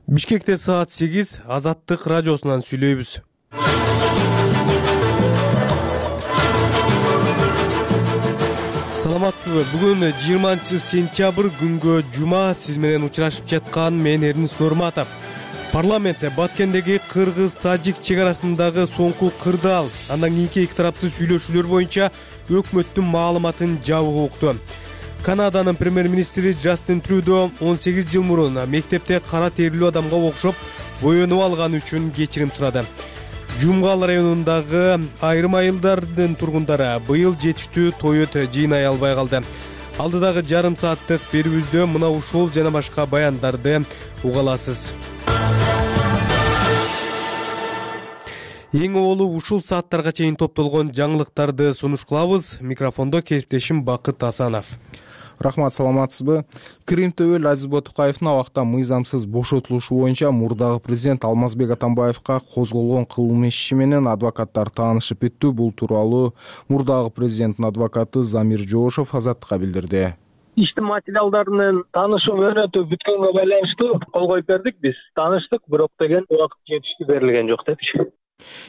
Бишкекте саат 8 Азаттык радиосунан сүйлөйбүз. Саламатсызбы? Бүгүн 20-сентябрь күнгө жума. Сиз менен учурашып жаткан мен Эрнис Нурматов. Парламентте Баткендеги кыргыз-тажик чек арасындагы соңку кырдаал, андан кийинки эки тараптуу сүйлөшүүлөр боюнча өкмөттүн маалыматын жабык укту. Канаданын премьер-министри Джастин Трюдо 18 жыл мурун мектепте кара терилүү адамга окшоп боенуп алганы үчүн кечирим сурады. Жумгал районундагы айрым айылдардын тургундары быйыл жетиштүү тоет жыйнай албай калды. Алдыдагы жарым сааттык берүүбүздө мына ушул жана башка баяндарды уга аласыз. Эң оолу ушул сааттарга чейин топтолгон жаңылыктарды сунуш кылабыз. Микрофондо кесиптешим Бакыт Асанов. Рахмат, саламатсызбы? Крим төбөл Азиз Батукаевдин абакта мыйзамсыз бошотулушу боюнча мурдагы президент Алмазбек Атамбаевга козголгон кылмыш иши менен адвокаттар таанышып бүттү. Бул тууралуу мурдагы президенттин адвокаты Замир Жоошев Азаттыкка билдирди. Иштин материалдарынын таанышуу мөөнөтү бүткөнгө байланыштуу кол коюп бердик. Биз тааныштык, бирок деген убакыт жетиштүү берилген жок депчи.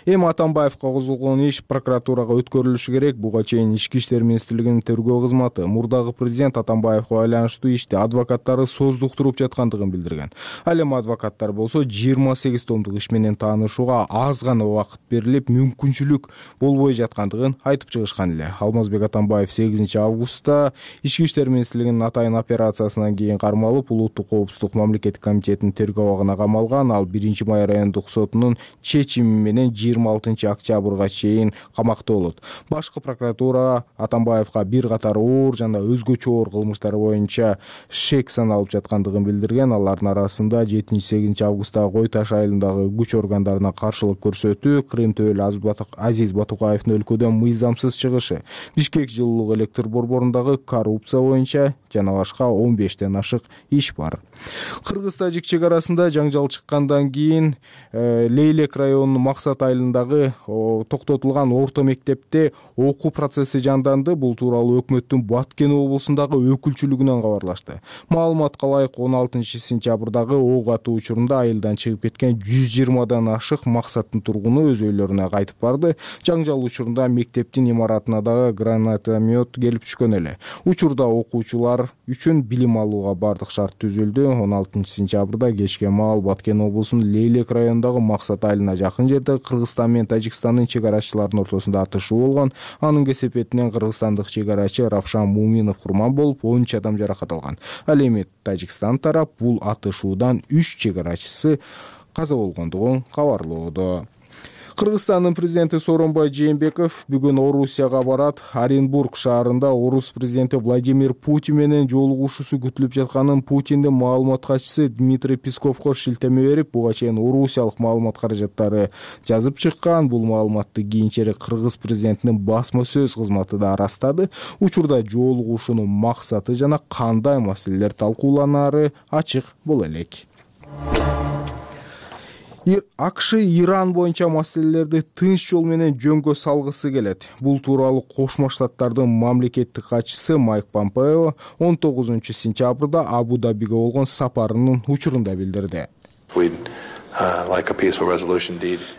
Эми Атамбаевга козголгон иш прокуратурага өткөрүлүшү керек. Буга чейин Ички иштер министрлигинин тергөө кызматы мурдагы президент Атамбаевга байланыштуу ишти адвокаттары создуктуруп жаткандыгын билдирген. Ал эми адвокаттар болсо 28 томдук иш менен таанышууга аз гана убакыт берилип, мүмкүнчүлүк болбой жаткандыгын айтып чыгышкан эле. Алмазбек Атамбаев 8 августта Ички иштер министрлигинин атайын операциясынан кийин кармалып, Улуттук коопсуздук мамлекеттик комитетинин тергөө абагына камалган. Ал 1-май райондук сотунун чечими менен 26 октябрга чейин камакта болот. Башкы прокуратура Атамбаевга бир катар оор жана өзгөчө оор кылмыштар боюнча шек саналып жаткандыгын билдирген. Алардын арасында 7-8 августта Кой Таш айылындагы күч органдарына каршылык көрсөтүү, Крим төбөл Азиз Батукаевдин өлкөдөн мыйзамсыз чыгышы, Бишкек жылуулук электр борборундагы коррупция боюнча жана башка 15тен ашык иш бар. Кыргыз-тажик чек арасында жаңжал чыккандан кийин Лейлек районунун Максат айылындагы токтотулган орто мектепте окуу процесси жанданды. Бул тууралуу өкмөттүн Баткен облусундагы өкүлчүлүгүнөн кабарлашты. Маалыматка ылайык 16 сентябрдагы ок атуу учурунда айылдан чыгып кеткен 120дан ашык Максаттын тургуну өз үйлөрүнө кайтып барды. Жаңжал учурунда мектептин имаратына дагы гранатомет келип түшкөн эле. Учурда окуучулар үчүн билим алууга бардык шарт түзүлдү. 16 сентябрда кечке маал Баткен облусунун Лейлек районундагы Максат айылына жакын жерде Кыргызстан менен Тажикстандын чек арачыларынын ортосунда атышуу болгон. Анын кесепетинен кыргызстандык чек арачы Равшан Муминов курман болуп, 13 адам жаракат алган. Ал эми Тажикстан тарап бул атышуудан 3 чек арачысы каза болгондугун кабарлоодо. Кыргызстандын президенти Сооронбай Жээнбеков бүгүн Орусияга барат. Оренбург шаарында орус президенти Владимир Путин менен жолугушуусу күтүлүп жатканын Путиндин маалымат катчысы Дмитрий Песковго шилтеме берип, буга чейин орусиялык маалымат каражаттары жазып чыккан. Бул маалыматты кийинчерээк кыргыз президентинин басма сөз кызматы да ырастады. Учурда жолугушуунун максаты жана кандай маселелер талкууланары ачык боло элек. АКШ Иран боюнча маселелерди тынч жол менен жөнгө салгысы келет. Бул тууралуу Кошмо Штаттардын мамлекеттик катчысы Майк Помпео 19 сентябрда Абу-Дабиге болгон сапарынын учурунда билдирди.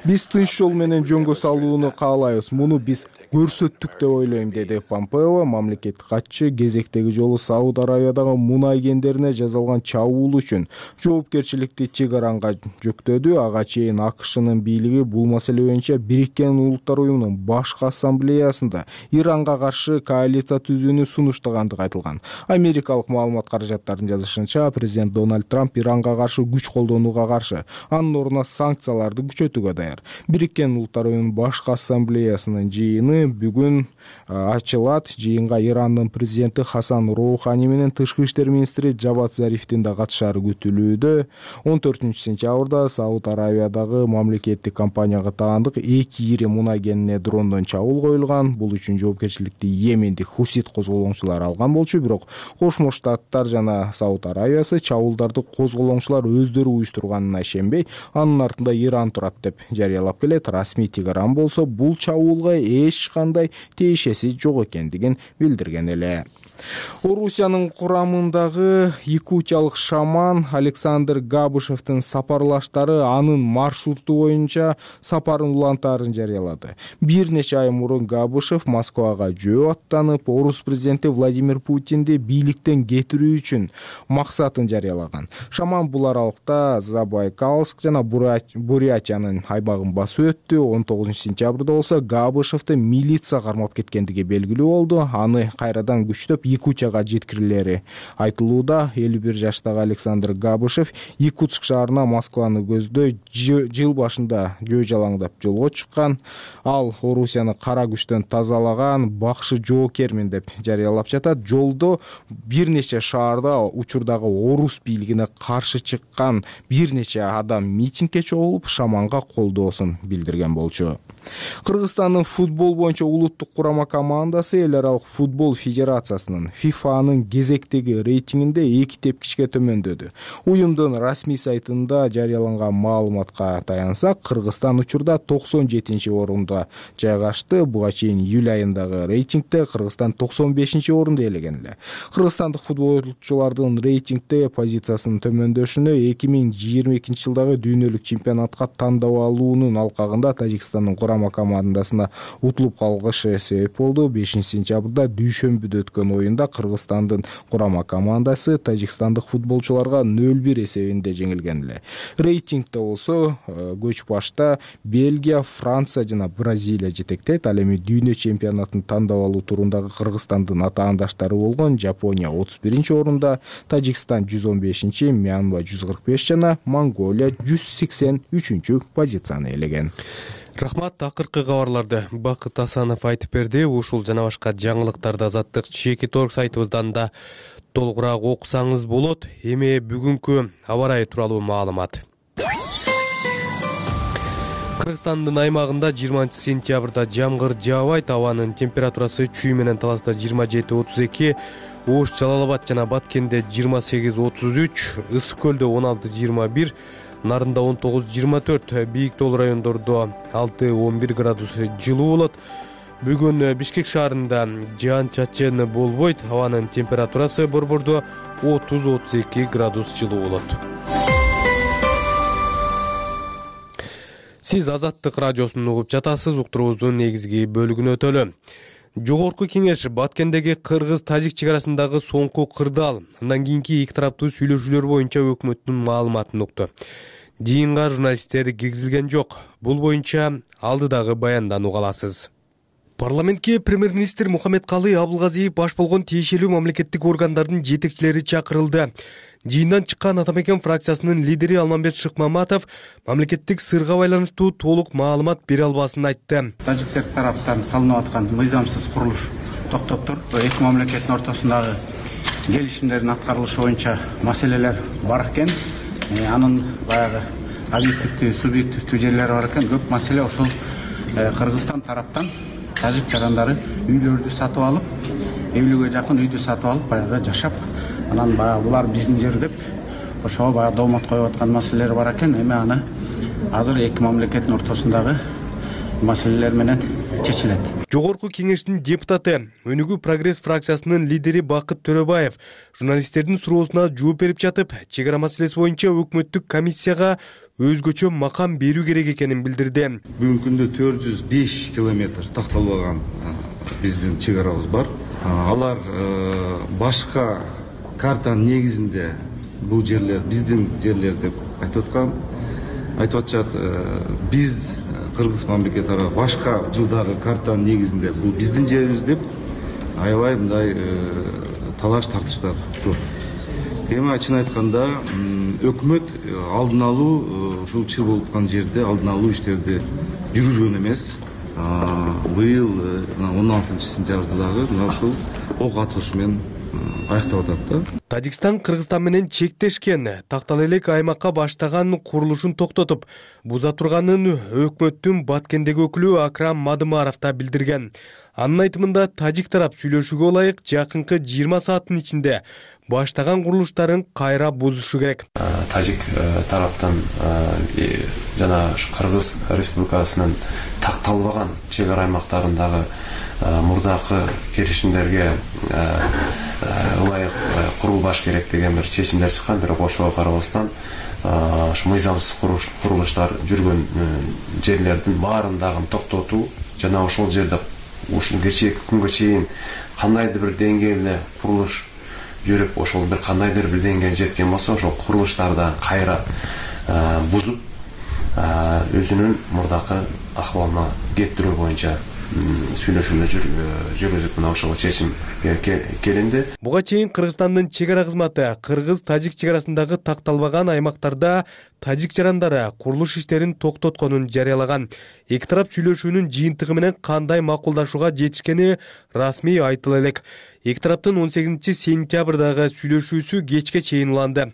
Биз тынч жол менен жөнгө салууну каалайбыз. Муну биз көрсөттүк деп ойлойм, деди Помпео. Мамлекеттик катчы кезектеги жолу Сауд Арабиядагы мунай кендерине жасалган чабуул үчүн жоопкерчиликти Тегеранга жүктөдү. Ага чейин АКШнын бийлиги бул маселе боюнча Бириккен Улуттар уюмунун башкы ассамблеясында Иранга каршы коалиция түзүүнү сунуштагандыгы айтылган. Америкалык маалымат каражаттарынын жазышынча, президент Дональд Трамп Иранга каршы күч колдонууга каршы, анын ордуна санкцияларды күчөтүүгө даяр. Бириккен Улуттар уюмунун башкы ассамблеясынын жыйыны бүгүн ачылат. Жыйынга Ирандын президенти Хасан Роухани менен тышкы иштер министри Джавад Зарифтин да катышары күтүлүүдө. 14 сентябрда Сауд Арабиядагы мамлекеттик компанияга таандык 2 ири мунай кенине дрондон чабуул коюлган. Бул үчүн жоопкерчиликти Йемендик хусит козголоңчулар алган болчу, бирок Кошмо Штаттар жана Сауд Арабиясы чабуулдарды козголоңчулар өздөрү уюштурганына ишенбей, анын артында Иран турат деп жарыялап келет. Расмий Тегеран болсо бул чабуулга эч кандай тиешеси жок экендигин билдирген эле. Орусиянын курамындагы якутиялык шаман Александр Габышевдин сапарлаштары анын маршруту боюнча сапарын улантаарын жарыялады. Бир нече ай мурун Габышев Москвага жөө аттанып, орус президенти Владимир Путинди бийликтен кетирүү үчүн максатын жарыялаган. Шаман бул аралыкта Забайкальск жана Бурятиянын аймагын басып өттү. 19-сентябрда болсо Габышевди милиция кармап кеткендиги белгилүү болду. Аны кайрадан күчтөп Якутияга жеткирилери айтылууда. 51 жаштагы Александр Габышев Якутск шаарына Москваны көздөй жыл башында жөө жалаңдап жолго чыккан. Ал Орусияны кара күчтөн тазалаган бакшы жоокермин деп жарыялап жатат. Жолдо бир нече шаарда учурдагы орус бийлигине каршы чыккан бир нече адам митингге чогулуп, шаманга колдоосун билдирген болчу. Кыргызстандын футбол боюнча улуттук курама командасы эл аралык футбол федерациясынын ФИФАнын кезектеги рейтингинде 2 тепкичке төмөндөдү. Уюмдун расмий сайтында жарыяланган маалыматка таянсак, Кыргызстан учурда 97-орунда жайгашты. Буга чейин июль айындагы рейтингде Кыргызстан 95-орунду ээлеген эле. Кыргызстандык футболчулардын рейтингде позициясынын төмөндөшүнө 2022-жылдагы дүйнөлүк чемпионатка тандап алуунун алкагында Тажикстандын курама командасына утулуп калгышы себеп болду. 5-сентябрда дүйшөмбүдө өткөн оюнда Кыргызстандын курама командасы тажикстандык футболчуларга 0-1 эсебинде жеңилген эле. Рейтингде болсо көч башта Бельгия, Франция жана Бразилия жетектейт. Ал эми дүйнө чемпионатын тандап алуу турундагы Кыргызстандын атаандаштары болгон Жапония 31-орунда, Тажикстан 115, Мьянма 145 жана Монголия 183 позицияны ээлеген. Рахмат, акыркы кабарларды Бакыт Асанов айтып берди. Ушул жана башка жаңылыктарды Азаттык Чекиторг сайтыбыздан да толугураак окусаңыз болот. Эми бүгүнкү аба ырайы тууралуу маалымат. Кыргызстандын аймагында 20-сентябрда жамгыр жаабайт. Абанын температурасы чүй менен Таласта 27-32, Ош, Жалал-Абад жана Баткенде 28-33, Ысык көлдө 16-21, Нарында 19-24, бийик тоол райондордо 6-11 градус жылуу болот. Бүгүн Бишкек шаарында жаан-чачын болбойт. Абанын температурасы борбордо 30-32 градус жылуу болот. Сиз Азаттык радиосун угуп жатасыз. Уктуруубуздун негизги бөлүгүнө өтөлү. Жогорку кеңеш Баткендеги кыргыз-тажик чек арасындагы соңку кырдаал, андан кийинки эки тараптуу сүйлөшүүлөр боюнча өкмөттүн маалыматын укту. Жыйынга журналисттер киргизилген жок. Бул боюнча алдыдагы баяндан уга аласыз. Парламентке премьер-министр Мухаммедкалый Абылгазиев баш болгон тиешелүү мамлекеттик органдардын жетекчилери чакырылды. Жыйындан чыккан Атамекен фракциясынын лидери Алмамбет Шыкмаматов мамлекеттик сырга байланыштуу толук маалымат бере албасын айтты. Тажиктер тараптан салынып аткан мыйзамсыз курулуш токтоптур. Эки мамлекеттин ортосундагы келишимдердин аткарылышы боюнча маселелер бар экен. Анын баягы объективдүү, субъективдүү жерлери бар экен. Көп маселе ошол Кыргызстан тараптан тажик жарандары үйлөрдү сатып алып, 50-ге жакын үйдү сатып алып, баягы жашап, анан баягы булар биздин жер деп ошого баягы доомот коюп аткан маселелер бар экен. Эми аны азыр эки мамлекеттин ортосундагы маселелер менен чечилет. Жогорку кеңештин депутаты, Өнүгүү прогресс фракциясынын лидери Бакыт Төрөбаев журналисттердин суроосуна жооп берип жатып, чек ара маселеси боюнча өкмөттүк комиссияга өзгөчө макам берүү керек экенин билдирди. Бүгүнкү күндө 405 километр такталбаган биздин чек арабыз бар. Алар башка картанын негизинде бул жерлер биздин жерлер деп айтып атышат. Биз Кыргыз мамлекети аркылуу башка жылдагы картанын негизинде бул биздин жерибиз деп аябай мындай талаш тартыштар көп. Эми ачык айтканда өкмөт алдын алуу ушул чыр болуп аткан жерде алдын алуу иштерди жүргүзгөн эмес. Быйыл 16-сентябрда дагы мына ушул ок атылыш менен аяктап атат да. Тажикстан Кыргызстан менен чектешкен тактал элек аймакка баштаган курулушун токтотуп, буза турганын өкмөттүн Баткендеги өкүлү Акрам Мадымаров да билдирген. Анын айтымында тажик тарап сүйлөшүүгө ылайык жакынкы 20 сааттын ичинде баштаган курулуштарын кайра бузушу керек. Тажик тараптан жана Кыргыз Республикасынын такталбаган чек ара аймактарындагы мурдакы келишимдерге ылайык курулбаш керек деген бир чечимдер чыккан. Бирок ошого карабастан ушу мыйзамсыз курулуштар жүргөн жерлердин баарын дагы токтотуу жана ошол жерде ушул кечээки күнгө чейин кандайдыр бир деңгээлде курулуш жүрүп, ошол бир кандайдыр бир деңгээлге жеткен болсо, ошол курулуштарды кайра бузуп өзүнүн мурдакы акыбалына кеттирүү боюнча сүйлөшүүлөр жүргүзүп мына ошого чечим келинди. Буга чейин Кыргызстандын чек ара кызматы кыргыз-тажик чек арасындагы такталбаган аймактарда тажик жарандары курулуш иштерин токтотконун жарыялаган. Эки тарап сүйлөшүүнүн жыйынтыгы менен кандай макулдашууга жетишкени расмий айтыла элек. Эки тараптын 18 сентябрдагы сүйлөшүүсү кечке чейин уланды.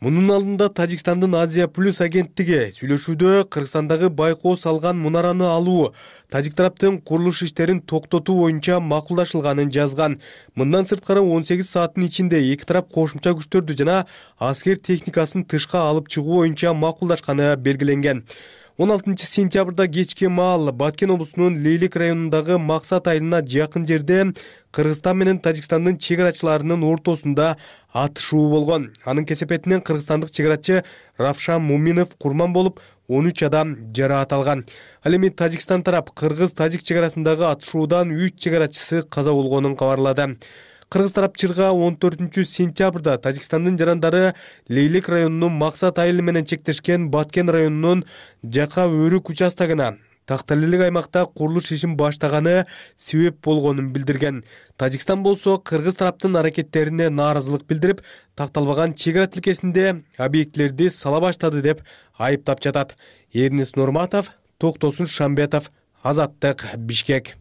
Мунун алдында Тажикстандын Азия Плюс агенттиги сүйлөшүүдө Кыргызстандагы байкоо салган мунараны алуу, тажик тараптын курулуш иштерин токтотуу боюнча макулдашылганын жазган. Мындан сырткары 18 сааттын ичинде эки тарап кошумча күчтөрдү жана аскер техникасын тышка алып чыгуу боюнча макулдашканы белгиленген. 16 сентябрда кечки маал Баткен облусунун Лейлик районундагы Максат айылына жакын жерде Кыргызстан менен Тажикстандын чек арачыларынын ортосунда атышуу болгон. Анын кесепетинен кыргызстандык чек арачы Равшан Муминов курман болуп, 13 адам жараат алган. Ал эми Тажикстан тарап кыргыз-тажик чек арасындагы атышуудан 3 чек арачысы каза болгонун кабарлады. Кыргыз тарап чырга 14 сентябрда Тажикстандын жарандары Лейлик районунун Максат айылы менен чектешкен Баткен районунун Жака өрүк участогуна такталелик аймакта курулуш ишин баштаганы себеп болгонун билдирген. Тажикстан болсо кыргыз тараптын аракеттерине нааразылык билдирип, такталбаган чек ара тилкесинде объектилерди сала баштады деп айыптап жатат. Эрнис Нурматов, Токтосун Шамбетов, Азаттык, Бишкек.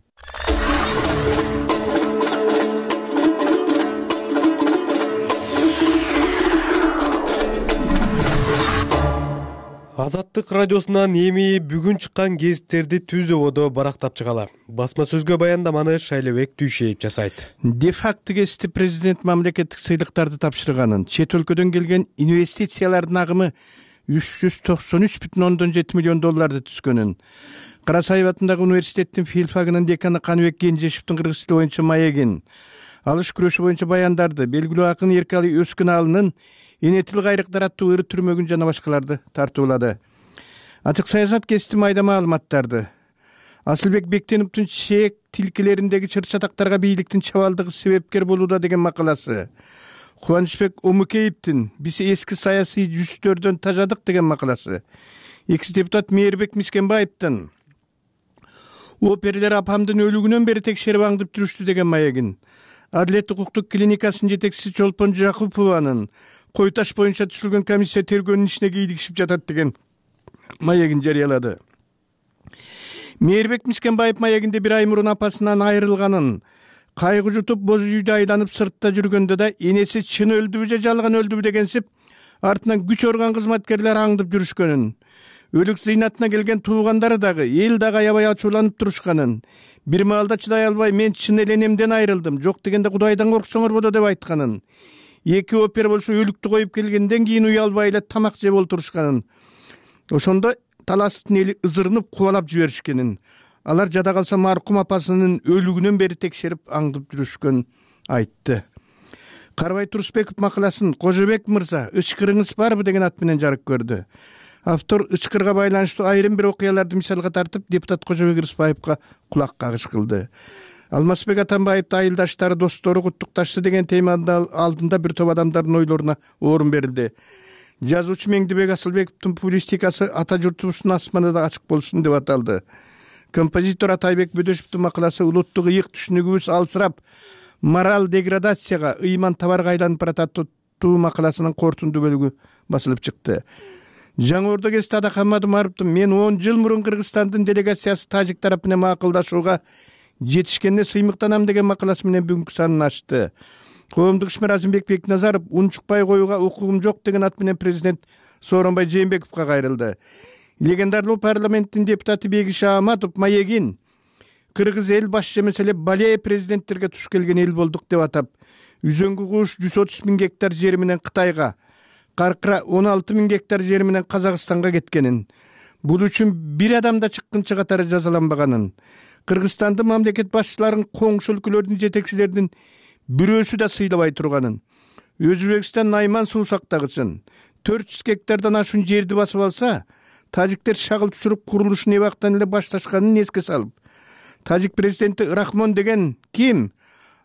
Азаттык радиосунан эми бүгүн чыккан гезиттерди Түз ободо барактап чыгалы. Басма сөзгө баяндаманы Шайлебек Түйшеев жасайт. Де-факто гезити президент мамлекеттик сыйлыктарды тапшырганын, чет өлкөдөн келген инвестициялардын агымы 393,7 миллион долларды түзгөнүн, Карасаев атындагы университеттин филфагынын деканы Каныбек Кенжешевдин кыргыз тили боюнча маегин, алыш күрөшү боюнча баяндарды, белгилүү акын Эркали Өскүналынын Энетил кайрыктар аттуу ыры түрмөгүн жана башкаларды тартуулады. Ачык саясат гезити майда маалыматтарды. Асылбек Бектеновдун чек тилкелериндеги чыр-чатактарга бийликтин чабалдыгы себепкер болууда деген макаласы. Кубанычбек Омукеевдин биз эски саясий жүзтөрдөн тажадык деген макаласы. Экс-депутат Мээрбек Мискенбаевдин оперлер апамдын өлүгүнөн бери текшерип аңдып жүрүштү деген маегин. Адилет укуктук клиникасынын жетекчиси Чолпон Жакупованын Кой таш боюнча түзүлгөн комиссия тергөөнүн ишине кийлигишип жатат деген маегин жарыялады. Мээрбек Мискенбаев маегинде бир ай мурун апасынан айрылганын, кайгы жутуп боз үйдө айланып сыртта жүргөндө да энеси чын өлдүбү же жалган өлдүбү дегенсип артынан күч орган кызматкерлери аңдып жүрүшкөнүн, өлүк зыйнатына келген туугандары дагы эл дагы аябай ачууланып турушканын, бир маалда чыдай албай мен чын эле энемден айрылдым, жок дегенде Кудайдан корксоңор болду деп айтканын, эки опер болсо өлүктү коюп келгенден кийин уялбай эле тамак жеп олтурушканын, ошондо таластын эли ызырынып кубалап жиберишкенин, алар жада калса маркум апасынын өлүгүнөн бери текшерип аңдып жүрүшкөнүн айтты. Карбай Турсбеков макаласын Кожобек мырза ычкырыңыз барбы деген ат менен жарык көрдү. Автор ычкырга байланыштуу айрым бир окуяларды мисалга тартып, депутат Кожобек Рыспаевга кулак кагыш кылды. Алмазбек Атамбаевди айылдаштары, достору куттукташты деген теманын алдында бир топ адамдардын ойлоруна орун берилди. Жазуучу Меңдибек Асылбековдун публистикасы ата журтубуздун асманында ачык болсун деп аталды. Композитор Атайбек Бөдөшевдин макаласы улуттук ыйык түшүнүгүбүз алсырап, мораль деградацияга, ыйман табарга айланып баратат макаласынын кортунду бөлүгү басылып чыкты. Жаңы Ордо гезити Адахаммад Умаровдун мен 10 жыл мурун Кыргызстандын делегациясы тажик тарап менен макулдашууга жетишкенде сыймыктанам деген макаласы менен бүгүнкү санын ачты. Коомдук ишмер Азимбек Бекназаров унчукпай коюуга укугум жок деген ат менен президент Сооронбай Жээнбековго кайрылды. Легендарлуу парламенттин депутаты Бегиш Ааматов маегин кыргыз эл баш эмес бале президенттерге туш келген эл болдук деп атап, Үзөңгү куш 130 000 гектар жери менен Кытайга, Каркыра 16 000 гектар жери менен Казакстанга кеткенин, бул үчүн бир адамда чыккынчы катары жазаланбаганын, Кыргызстандын мамлекет башчыларын коңшу өлкөлөрдүн жетекчилеринин бирөөсү да сыйлабай турганын. Өзбекстан Найман суу сактагычын 400 гектардан ашуун жерди басып алса, тажиктер шагыл түшүрүп курулушун эбактан эле башташканын эске салып, тажик президенти Рахмон деген ким?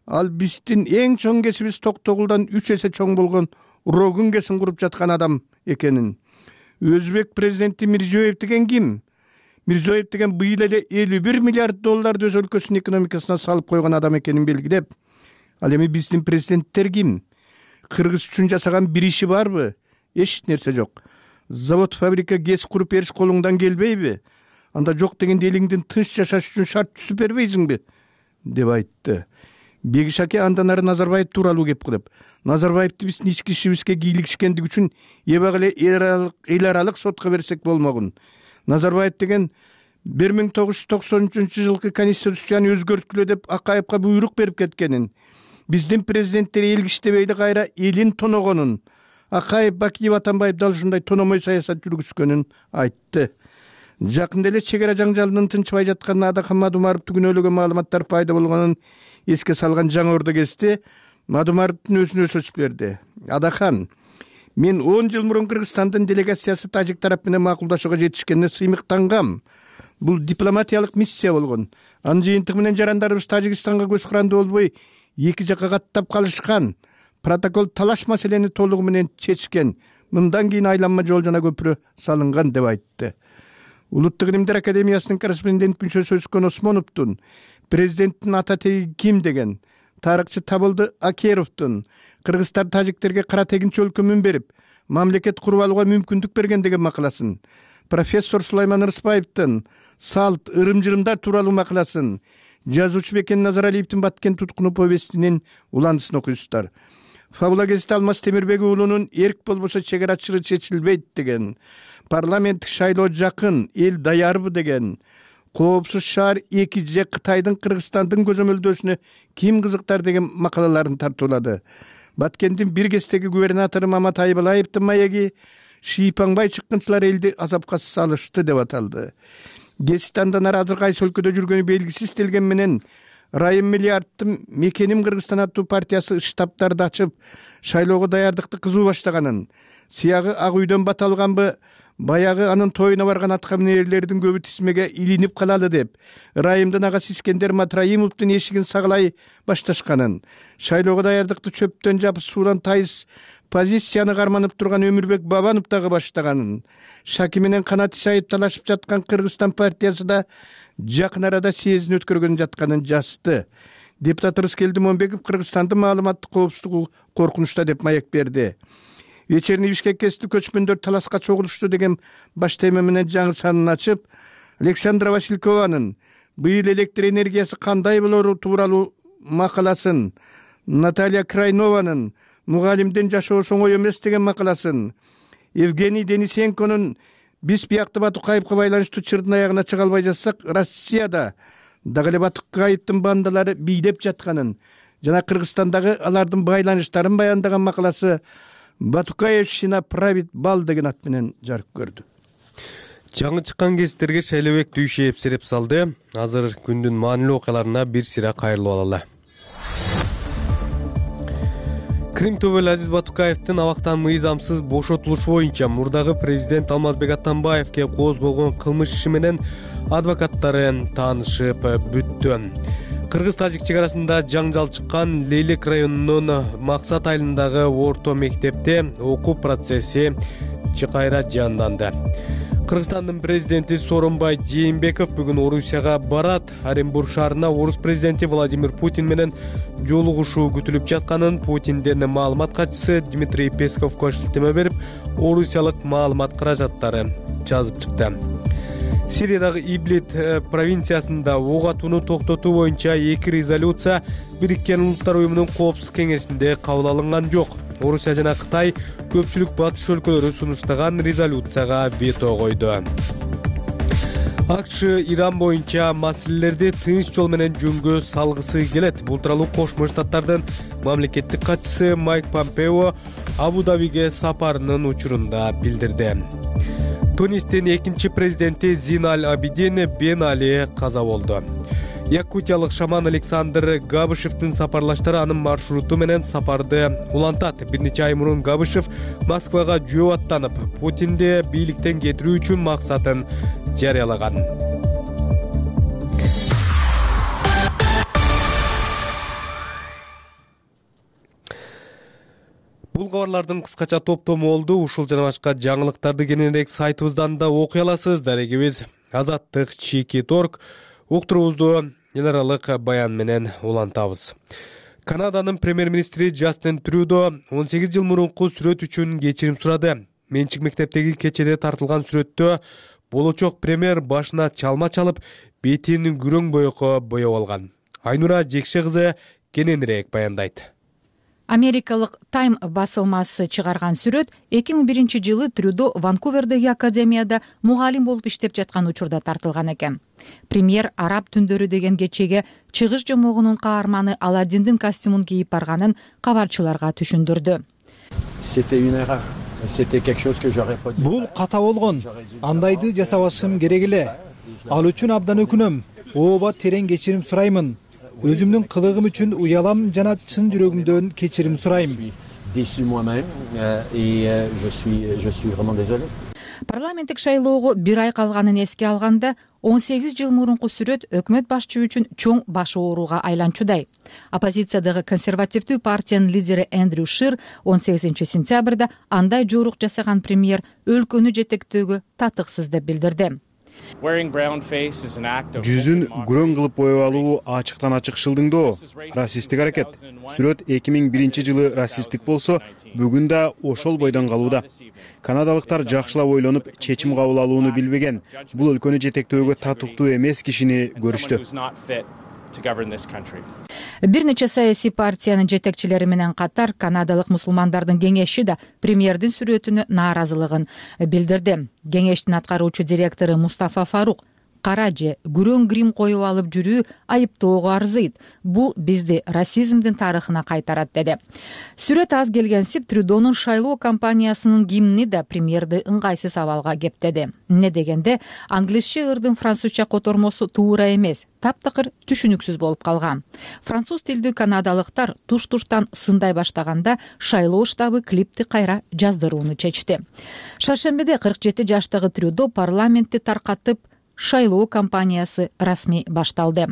Ал биздин эң чоң кесибиз Токтогулдан 3 эсе чоң болгон Рогун кесин куруп жаткан адам экенин. Өзбек президенти Мирзиёев деген ким? Мирзиёев деген быйыл эле 51 миллиард долларды өз өлкөсүнүн экономикасына салып койгон адам экенин белгилеп, ал эми биздин президенттер ким? Кыргыз үчүн жасаган бир иши барбы? Эч нерсе жок. Завод, фабрика, ГЭС куруп бериш колуңдан келбейби? Анда жок дегенде элиңдин тынч жашаш үчүн шарт түзүп бербейсиңби? деп айтты. Бегишаке андан ары Назарбаев тууралуу кеп кылып, Назарбаевди биздин ички ишибизге кийлигишкендиги үчүн эбак эле эл аралык сотко берсек болмогун. Назарбаев деген 1993 жылкы конституцияны өзгөрткүлө деп Акаевка буйрук берип кеткенин, биздин президенттер эл киштебейди кайра элин тоногонун, Акаев, Бакиев, Атамбаев дал ушундай тономой саясат жүргүзгөнүн айтты. Жакында эле чек ара жаңжалынын тынчыбай жатканына Адахан Мадумаровду күнөөлөгөн маалыматтар пайда болгонун эске салган Жаңы Ордо кезде Мадумаровдун өзүнө сөз берди. Адахан, мен 10 жыл мурун Кыргызстандын делегациясы тажик тарап менен макулдашууга жетишкенине сыймыктангам. Бул дипломатиялык миссия болгон. Анын жыйынтыгы менен жарандарыбыз Тажикстанга көз курандуу болбой эки жакка каттап калышкан. Протокол талаш маселени толугу менен чечкен. Мындан кийин айланма жол жана көпүрө салынган деп айтты. Улуттук илимдер академиясынын корреспондент мүчөсү Өзкөн Осмоновдун президенттин ата теги ким деген, тарыхчы Табылды Акеровдун кыргыздар тажиктерге кара тегинчи өлкөмүн берип, мамлекет куруп алууга мүмкүндүк берген деген макаласын, профессор Сулайман Рыспаевдин салт, ырым-жырымдар тууралуу макаласын, жазуучу Бекен Назаралиевдин Баткен туткуну повестинин уландысын окуйсуздар. Фабула кезите Алмаз Темирбек уулунун эрк болбосо чек ара чыры чечилбейт деген, парламенттик шайлоо жакын, эл даярбы деген, коопсуз шаар 2 же Кытайдын Кыргызстандын көзөмөлдөөсүнө ким кызыктар деген макалаларын тартуулады. Баткендин бир кездеги губернатору Мамат Айбалаевдин маеги шийпаңбай чыккынчылар элди азапка салышты деп аталды. Гезистандан ары азыр кайсы өлкөдө жүргөнү белгисиз делген менен Райым Миллиарддын Мекеним Кыргызстан аттуу партиясы штабтарды ачып, шайлоого даярдыкты кызуу баштаганын, сыягы Ак үйдөн бата алганбы, баягы анын тоюна барган аткаминерлердин көбү тизмеге илинип калалы деп, Райымдын агасы Искендер Матраимовдун эшигин сагалай башташканын, шайлоого даярдыкты чөптөн жапып суудан тайыз позицияны карманып турган Өмүрбек Бабанов дагы баштаганын, Шаки менен Канат Исаев талашып жаткан Кыргызстан партиясы да жакын арада съездин өткөргөн жатканын жазды. Депутат Рыскелди Момбеков Кыргызстандын маалыматтык коопсуздугу коркунучта деп маек берди. Вечерний Бишкеккести көчмөндөр таласка чогулушту деген баш тема менен жаңы санын ачып, Александра Василькованын быйыл электр энергиясы кандай болору тууралуу макаласын, Наталья Крайнованын мугалимдин жашоосу оңой эмес деген макаласын, Евгений Денисенконун биз биякты Батукаевга байланыштуу чырдын аягына чыга албай жатсак, Россияда дагы эле Батукаевдин бандалары бийлеп жатканын жана Кыргызстандагы алардын байланыштарын баяндаган макаласы Батукаевщина правит бал деген ат менен жарык көрдү. Жаңы чыккан гезиттерге Шайлообек Дүйшеев сереп салды. Азыр күндүн маанилүү окуяларына бир сыйра кайрылып алалы. Крим төбөлү Азиз Батукаевдин абактан мыйзамсыз бошотулушу боюнча мурдагы президент Алмазбек Атамбаевге козголгон кылмыш иши менен адвокаттары таанышып бүттү. Кыргыз-тажик чек арасында жаңжал чыккан Лейлек районунун Максат айылындагы орто мектепте окуу процесси кайра жанданды. Кыргызстандын президенти Сооронбай Жээнбеков бүгүн Орусияга барат. Оренбург шаарына орус президенти Владимир Путин менен жолугушуу күтүлүп жатканын Путинден маалымат катчысы Дмитрий Песковго шилтеме берип, орусиялык маалымат каражаттары жазып чыкты. Сириядагы Иблит провинциясында ок атууну токтотуу боюнча 2 резолюция Бириккен Улуттар уюмунун коопсуздук кеңешинде кабыл алынган жок. Орусия жана Кытай көпчүлүк батыш өлкөлөрү сунуштаган резолюцияга вето койду. АКШ Иран боюнча маселелерди тынч жол менен жөнгө салгысы келет. Бул тууралуу Кошмо Штаттардын мамлекеттик катчысы Майк Помпео Абу-Дабиге сапарынын учурунда билдирди. Тунистин экинчи президенти Зин Аль Абидин Бен Али каза болду. Якутиялык шаман Александр Габышевдин сапарлаштары анын маршруту менен сапарды улантат. Бир нече ай мурун Габышев Москвага жөө аттанып, Путинди бийликтен кетирүү үчүн максатын жарыялаган. Бул кабарлардын кыскача топтому болду. Ушул жана башка жаңылыктарды кененирээк сайтыбыздан да окуй аласыз. Дарегибиз Азаттык Чики.org. Уктуруубузду эл аралык баян менен улантабыз. Канаданын премьер-министри Джастин Трюдо 18 жыл мурунку сүрөт үчүн кечирим сурады. Менчик мектептеги кечеде тартылган сүрөттө болочок премьер башына чалма чалып, бетин күрөң боёко боеп алган. Айнура Жекше кызы кененирээк баяндайт. Америкалык Time басылмасы чыгарган сүрөт 2001 жылы Трюдо Ванкувердеги академияда мугалим болуп иштеп жаткан учурда тартылган экен. Премьер араб түндөрү деген кечеге чыгыш жомогунун каарманы Аладдиндин костюмун кийип барганын кабарчыларга түшүндүрдү. Бул ката болгон. Андайды жасабашым керек эле. Ал үчүн абдан өкүнөм. Ооба терең кечирим сураймын. Өзүмдүн кылыгым үчүн уялам жана чын жүрөгүмдөн кечирим сурайм. Парламенттик шайлоого бир ай калганын эске алганда 18 жыл мурунку сүрөт өкмөт башчы үчүн чоң баш ооруга айланчудай. Оппозициядагы консервативдүү партиянын лидери Эндрю Шир 18 сентябрда андай жорук жасаган премьер өлкөнү жетектөөгө татыксыз деп билдирди. Жүзүн күрөң кылып боеп алуу ачыктан ачык шылдыңдоо, расисттик аракет. Сүрөт 2001 жылы расисттик болсо, бүгүн да ошол бойдон калууда. Канадалыктар жакшылап ойлонуп, чечим кабыл алууну билбеген. Бул өлкөнү жетектөөгө татыктуу эмес кишини көрүштү. Бир нече саясий партиянын жетекчилери менен катар канадалык мусулмандардын кеңеши да премьердин сүрөтүнө нааразылыгын билдирди. Кеңештин аткаруучу директору Мустафа Фарук кара же күрөң грим коюп алып жүрүү айыптоого арзыйт. Бул бизди расизмдин тарыхына кайтарат деди. Сүрөт аз келгенсип Трюдонун шайлоо кампаниясынын гимни да премьерди ыңгайсыз абалга кептеди. Эмне дегенде англисче ырдын французча котормосу туура эмес, таптакыр түшүнүксүз болуп калган. Француз тилдүү канадалыктар туш-туштан сындай баштаганда шайлоо штабы клипти кайра жаздырууну чечти. Шаршембиде 47 жаштагы Трюдо парламентти таркатып, шайлоо кампаниясы расмий башталды.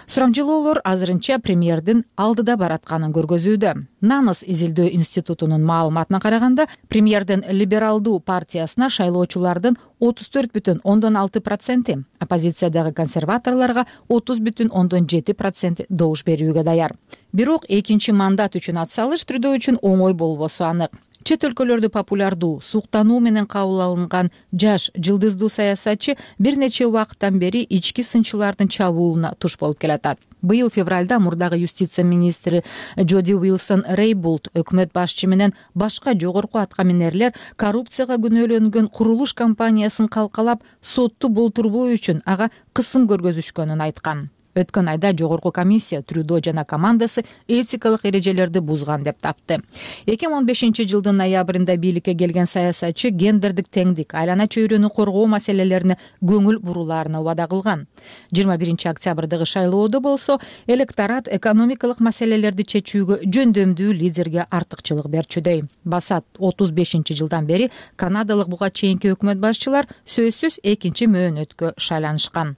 Сурамжылоолор азырынча премьердин алдыда баратканын көргөзүүдө. Нанос изилдөө институтунун маалыматына караганда, премьердин либералдуу партиясына шайлоочулардын 34,6%, оппозициядагы консерваторлорго 30,7% добуш берүүгө даяр. Бирок экинчи мандат үчүн атсалыш Трюдо үчүн оңой болбосу анык. Чет өлкөлөрдө популярдуу, суктануу менен кабыл алынган жаш жылдыздуу саясатчы бир нече убакыттан бери ички сынчылардын чабуулуна туш болуп келатат. Быйыл февралда мурдагы юстиция министри Джоди Уилсон Рейбулт өкмөт башчы менен башка жогорку аткаминерлер коррупцияга күнөөлөнгөн курулуш компаниясын калкалап, сотту болтурбоо үчүн ага кысым көргөзүшкөнүн айткан. Өткөн айда жогорку комиссия Трюдо жана командасы этикалык эрежелерди бузган деп тапты. 2015 жылдын ноябрында бийликке келген саясатчы гендердик теңдик, айлана чөйрөнү коргоо маселелерине көңүл буруларына убада кылган. 21 октябрдагы шайлоодо болсо, электорат экономикалык маселелерди чечүүгө жөндөмдүү лидерге артыкчылык берчүдөй. Басат 35 жылдан бери канадалык буга чейинки өкмөт башчылар сөзсүз экинчи мөөнөткө шайланышкан.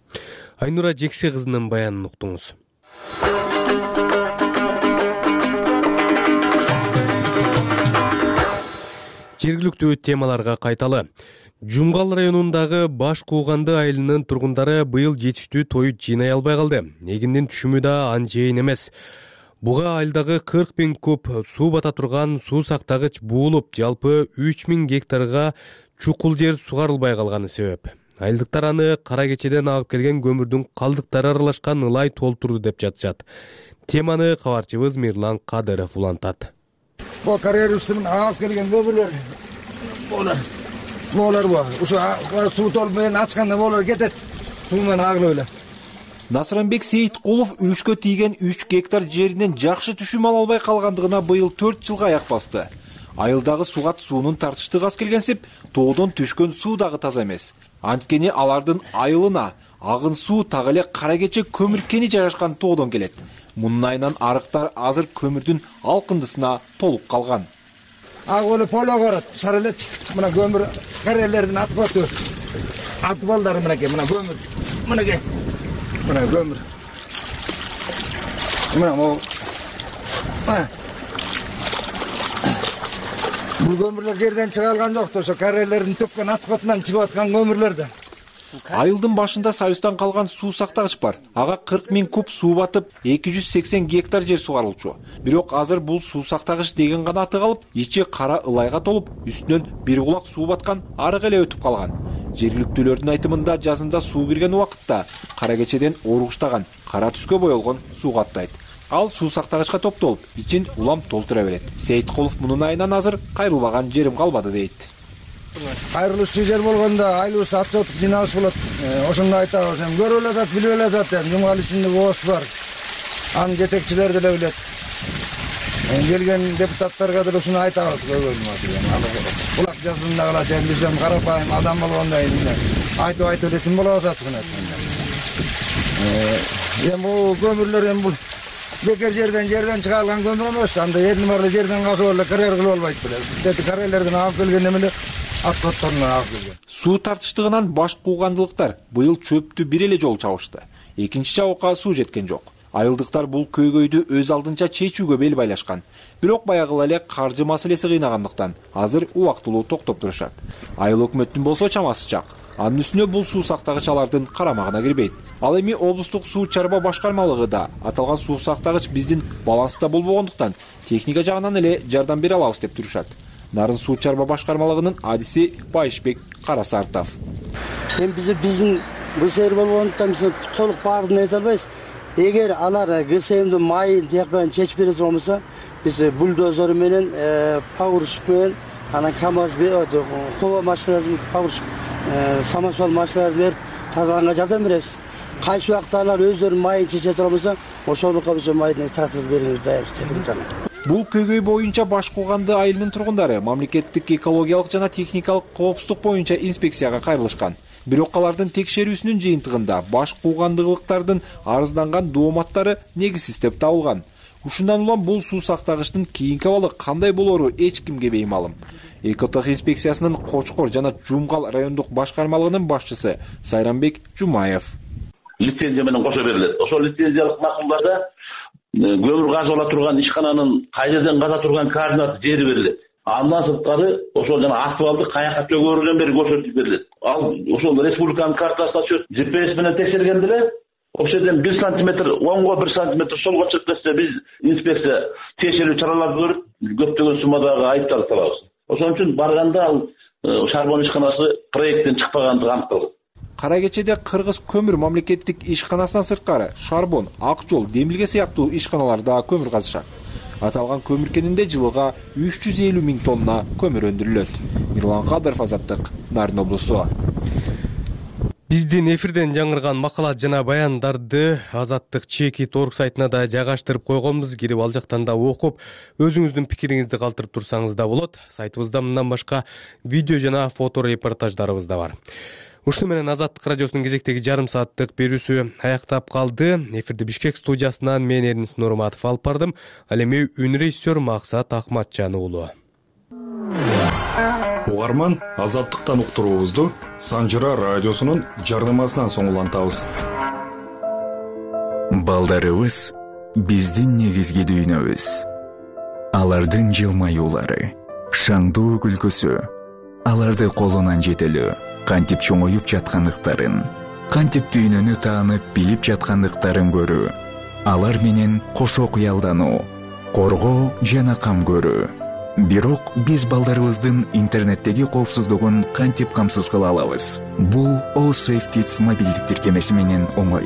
Айнура Жекше кызынын баянын уктуңуз. Жергиликтүү темаларга кайталы. Жумгал районундагы Баш Кууганды айылынын тургундары быйыл жетиштүү той жыйнай албай калды. Эгиндин түшүмү да анчейин эмес. Буга айылдагы 40 000 куб суу бата турган суу сактагыч буулуп, жалпы 3000 гектарга чукул жер сугарылбай калганы себеп. Айылдыктар аны кара кечеден агып келген көмүрдүн калдыктары аралашкан ылай толтурду деп жатышат. Теманы кабарчыбыз Мирлан Кадыров улантат. Бул карьерисинин агып келген көмүрлөр болор бар. Ошо суу толуп менен ачканда болор кетет. Суу менен агылып эле. Насранбек Сейиткулов үлүшкө тийген 3 гектар жеринен жакшы түшүм ала албай калгандыгына быйыл 4 жылга аяк басты. Айылдагы сугат суунун тартыштыгы аз келгенсип, тоодон түшкөн суу дагы таза эмес. Анткени алардын айылына агын суу так эле Кара Кече көмүр кени жайгашкан тоодон келет. Мунун айынан арыктар азыр көмүрдүн алкындысына толуп калган. Агылы поло көрөт, сарылет. Мына көмүр карелердин атып атбалдары мынакей, мына көмүр. Мынакей. Мына көмүр. Мына могу. Бул көмүрлөр жерден чыга алган жок, ошо карелердин төккөн аткотунан чыгып аткан көмүрлөрдөн. Айылдын башында Союздан калган суу сактагыч бар. Ага 40 000 куб суу батып, 280 гектар жер сугарылчу. Бирок азыр бул суу сактагыч деген гана аты калып, ичи кара ылайга толуп, үстүнөн бир кулак суу баткан арык эле өтүп калган. Жергиликтүүлөрдүн айтымында жазында суу кирген убакытта Кара Кечеден оругуштаган, кара түскө боелгон суу каттайт. Ал суу сактагычка топтолуп, ичин улам толтура берет. Сейиткулов мунун айынан азыр кайрылбаган жерим калбады дейт. Кайрылуучу жер болгондо айлыбыз отчет жыйнабыз болот. Ошондо айтабыз, көрүп эле атат, билип эле атат, жумгал ичинде бооз бар. Анын жетекчилери деле билет. Келген депутаттарга деле ушуну айтабыз, кулак жазында калат, биз карапайым адам болгондо айтып элетин болобуз ачыгын айтканда. Бул көмүрлөр бул бекер жерден чыга алган көмүр эмес, анда эрли барлы жерден казып эле карьер кылып албайт беле. Карьерлерден алып келген эмеле аткотторунан алып келген. Суу тартыштыгынан баш куугандылыктар быйыл чөптү бир эле жолу чабышты. Экинчи чабыкка суу жеткен жок. Айылдыктар бул көйгөйдү өз алдынча чечүүгө бел байлашкан. Бирок баягы эле каржы маселеси кыйнагандыктан азыр убактылуу токтоп турушат. Айыл өкмөттүн болсо чамасы жак. Анын үстүнө бул суу сактагыч алардын карамагына кирбейт. Ал эми облустук суу чарба башкармалыгы да аталган суу сактагыч биздин баланста болбогондуктан техника жагынан эле жардам бере алабыз деп турушат. Нарын суу чарба башкармалыгынын адиси Байышбек Карасартов. Биздин ГСМ болгондуктан биз толук баарын айта албайбыз. Эгер алар ГСМдин майын тияк чечип бере турган болсо, биз бульдозер менен, погрузчик менен, анан КАМАЗ, кова машиналарын погрузчик, самосвал машиналарын берип тазаланга жардам беребиз. Кайсы убакта алар өздөрүнүн майын чече турган болсо, ошолукка биз майды тартып беребиз дайыр. Бул көйгөй боюнча Баш Кууганды айылынын тургундары мамлекеттик экологиялык жана техникалык коопсуздук боюнча инспекцияга кайрылышкан. Бирок алардын текшерүүсүнүн жыйынтыгында Баш Куугандыктардын арызданган дооматтары негизсиз деп табылган. Ушундан улам бул суу сактагычтын кийинки абалы кандай болору эч кимге беймалым. Экотех инспекциясынын Кочкор жана Жумгал райондук башкармалыгынын башчысы Сайранбек Жумаев. Лицензия менен кошо берилет. Ошол лицензиялык макулдарда көмүр казып ала турган ишкананын кай жерден каза турган координаты жери берилет. Андан сырткары ошол жана асфальтты каяка төгөрүнөн бери көрсөтүп берилет. Ал ошол республиканын картасына түшөт. GPS менен текшергенде эле ошол жерден 1 сантиметр оңго 1 сантиметр солго чыгып кетсе биз инспекция текшерүү чараларды көрүп көптөгөн суммадагы айыптарды салабыз. Ошон үчүн барганда ал шарбон ишканасы проекттен чыкпагандыгы аныкталды. Кара Кечеде Кыргыз көмүр мамлекеттик ишканасынан сырткары Шарбон, Ак жол, Демилге сыяктуу ишканалар да көмүр казышат. Аталган көмүр кенинде жылыга 350 000 тонна көмүр өндүрүлөт. Мирлан Кадыров, Азаттык, Нарын облусу. Биздин эфирден жаңырган макалат жана баяндарды Азаттык Чеки.org сайтына да жайгаштырып койгонбуз. Кирип ал жактан да окуп, өзүңүздүн пикириңизди калтырып турсаңыз да болот. Сайтыбызда мындан башка видео жана фото репортаждарыбыз да бар. Ушуну менен Азаттык радиосунун кезектеги жарым сааттык берүүсү аяктап калды. Эфирди Бишкек студиясынан мен Эрнис Нурматов алып бардым. Ал эми үн режиссер Максат Акматжан уулу. Угарман Азаттыктан уктуруубузду Санжыра радиосунун жарнамасынан соң улантабыз. Балдарыбыз биздин негизги дүйнөбүз. Алардын жылмаюулары, шаңдуу күлкүсү, аларды колунан жетелөө, кантип чоңоюп жаткандыктарын, кантип дүйнөнү таанып билип жаткандыктарын көрүү, алар менен кошо кыялдануу, коргоо жана кам көрүү. Бирок биз балдарыбыздын интернеттеги коопсуздугун кантип камсыз кыла алабыз? Бул All Safe Kids мобилдик тиркемеси менен оңой.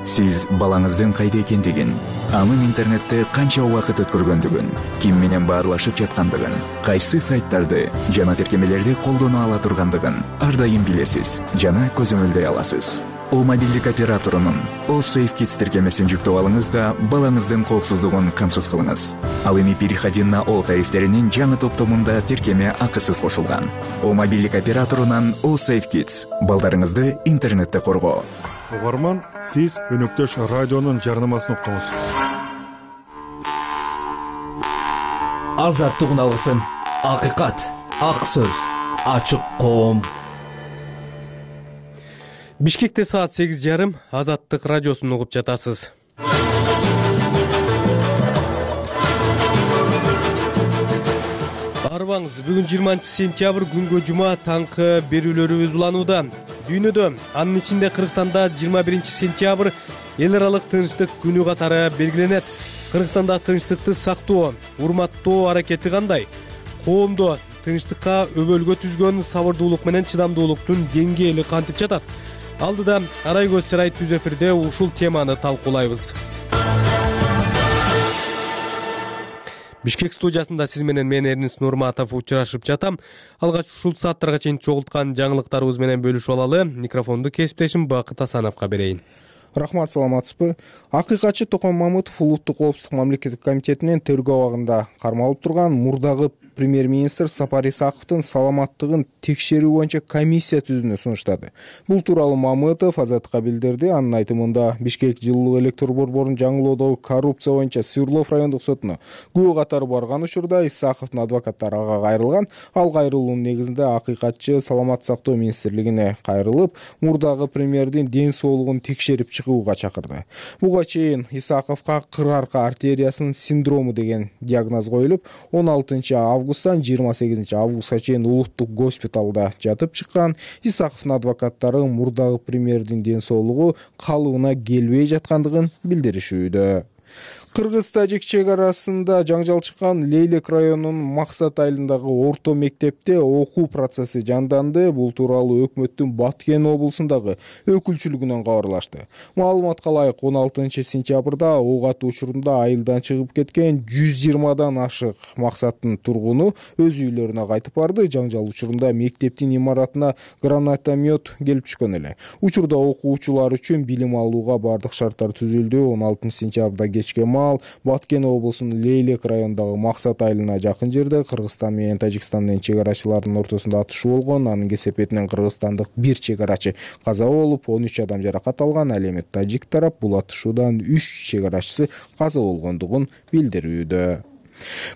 Сиз балаңыздын кайда экендигин, анын интернетте канча убакыт өткөргөндүгүн, ким менен баарлашып жаткандыгын, кайсы сайттарды жана тиркемелерди колдоно ала тургандыгын ар дайым билесиз жана көзөмөлдөй аласыз. О мобилдик операторунун О Safe Kids тиркемесин жүктөп алыңыз да балаңыздын коопсуздугун камсыз кылыңыз. Ал эми переходи на О тарифтеринин жаңы топтомунда тиркеме акысыз кошулган. О мобилдик операторунан О Safe Kids балдарыңызды интернетте коргоо. Угарман, сиз өнөктөш радионун жарнамасын уктуңуз. Азаттык алгысын, акыйкат, ак сөз, ачык коом. Бишкекте саат 8:30 Азаттык радиосун угуп жатасыз. Арбаңыз, бүгүн 20 сентябрь күнгө жума таңкы берүүлөрүбүз уланууда. Дүйнөдө, анын ичинде Кыргызстанда 21 сентябрь эл аралык тынчтык күнү катары белгиленет. Кыргызстанда тынчтыкты сактоо, урматтоо аракети кандай? Коомдо тынчтыкка өбөлгө түзгөн сабырдуулук менен чыдамдуулуктун деңгээли кантип жатат? Алдыда Арай көз чарай түз эфирде ушул теманы талкуулайбыз. Бишкек студиясында сиз менен мен Эрнис Нурматов учурашып жатам. Алгач ушул сааттарга чейин чогулткан жаңылыктарыбыз менен бөлүшүп алалы. Микрофонду кесиптешим Бакыт Асановго берейин. Рахмат, саламатсызбы? Акыйкатчы Токон Мамытов Улуттук коопсуздук мамлекеттик комитетинин тергөө абагында кармалып турган мурдагы премьер-министр Сапар Исаковдун саламаттыгын текшерүү боюнча комиссия түзүүнү сунуштады. Бул тууралуу Мамытов Азаттыкка билдирди. Анын айтымында Бишкек жылуулук электр борборун жаңылоодогу коррупция боюнча Свердлов райондук сотуна күбө катары барган учурда Исаковдун адвокаттары ага кайрылган. Ал кайрылуунун негизинде акыйкатчы Саламаттык сактоо министрлигине кайрылып, мурдагы премьердин ден соолугун текшерип чыгууга чакырды. Буга чейин Исаковго кыр арка артериясынын синдрому деген диагноз коюлуп, 16 августтан 28 августка чейин улуттук госпиталда жатып чыккан. Исаковдун адвокаттары мурдагы премьердин ден соолугу калыбына келбей жаткандыгын билдиришүүдө. Кыргыз-Тажик чек арасында жаңжал чыккан Лейлек районунун Максат айылындагы орто мектепте окуу процесси жанданды. Бул тууралуу өкмөттүн Баткен облусундагы өкүлчүлүгүнөн кабарлашты. Маалыматка ылайык 16 сентябрда ок атуу учурунда айылдан чыгып кеткен 120дан ашык Максаттын тургуну өз үйлөрүнө кайтып барды. Жаңжал учурунда мектептин имаратына гранатомет келип түшкөн эле. Учурда окуучулар үчүн билим алууга бардык шарттар түзүлдү. 16 сентябрда кечке Баткен облусунун Лейлек районундагы Максат айылына жакын жерде Кыргызстан менен Тажикстандын чек арачыларынын ортосунда атышуу болгон. Анын кесепетинен кыргызстандык бир чек арачы каза болуп, 13 адам жаракат алган. Ал эми тажик тарап бул атышуудан 3 чек арачысы каза болгондугун билдирүүдө.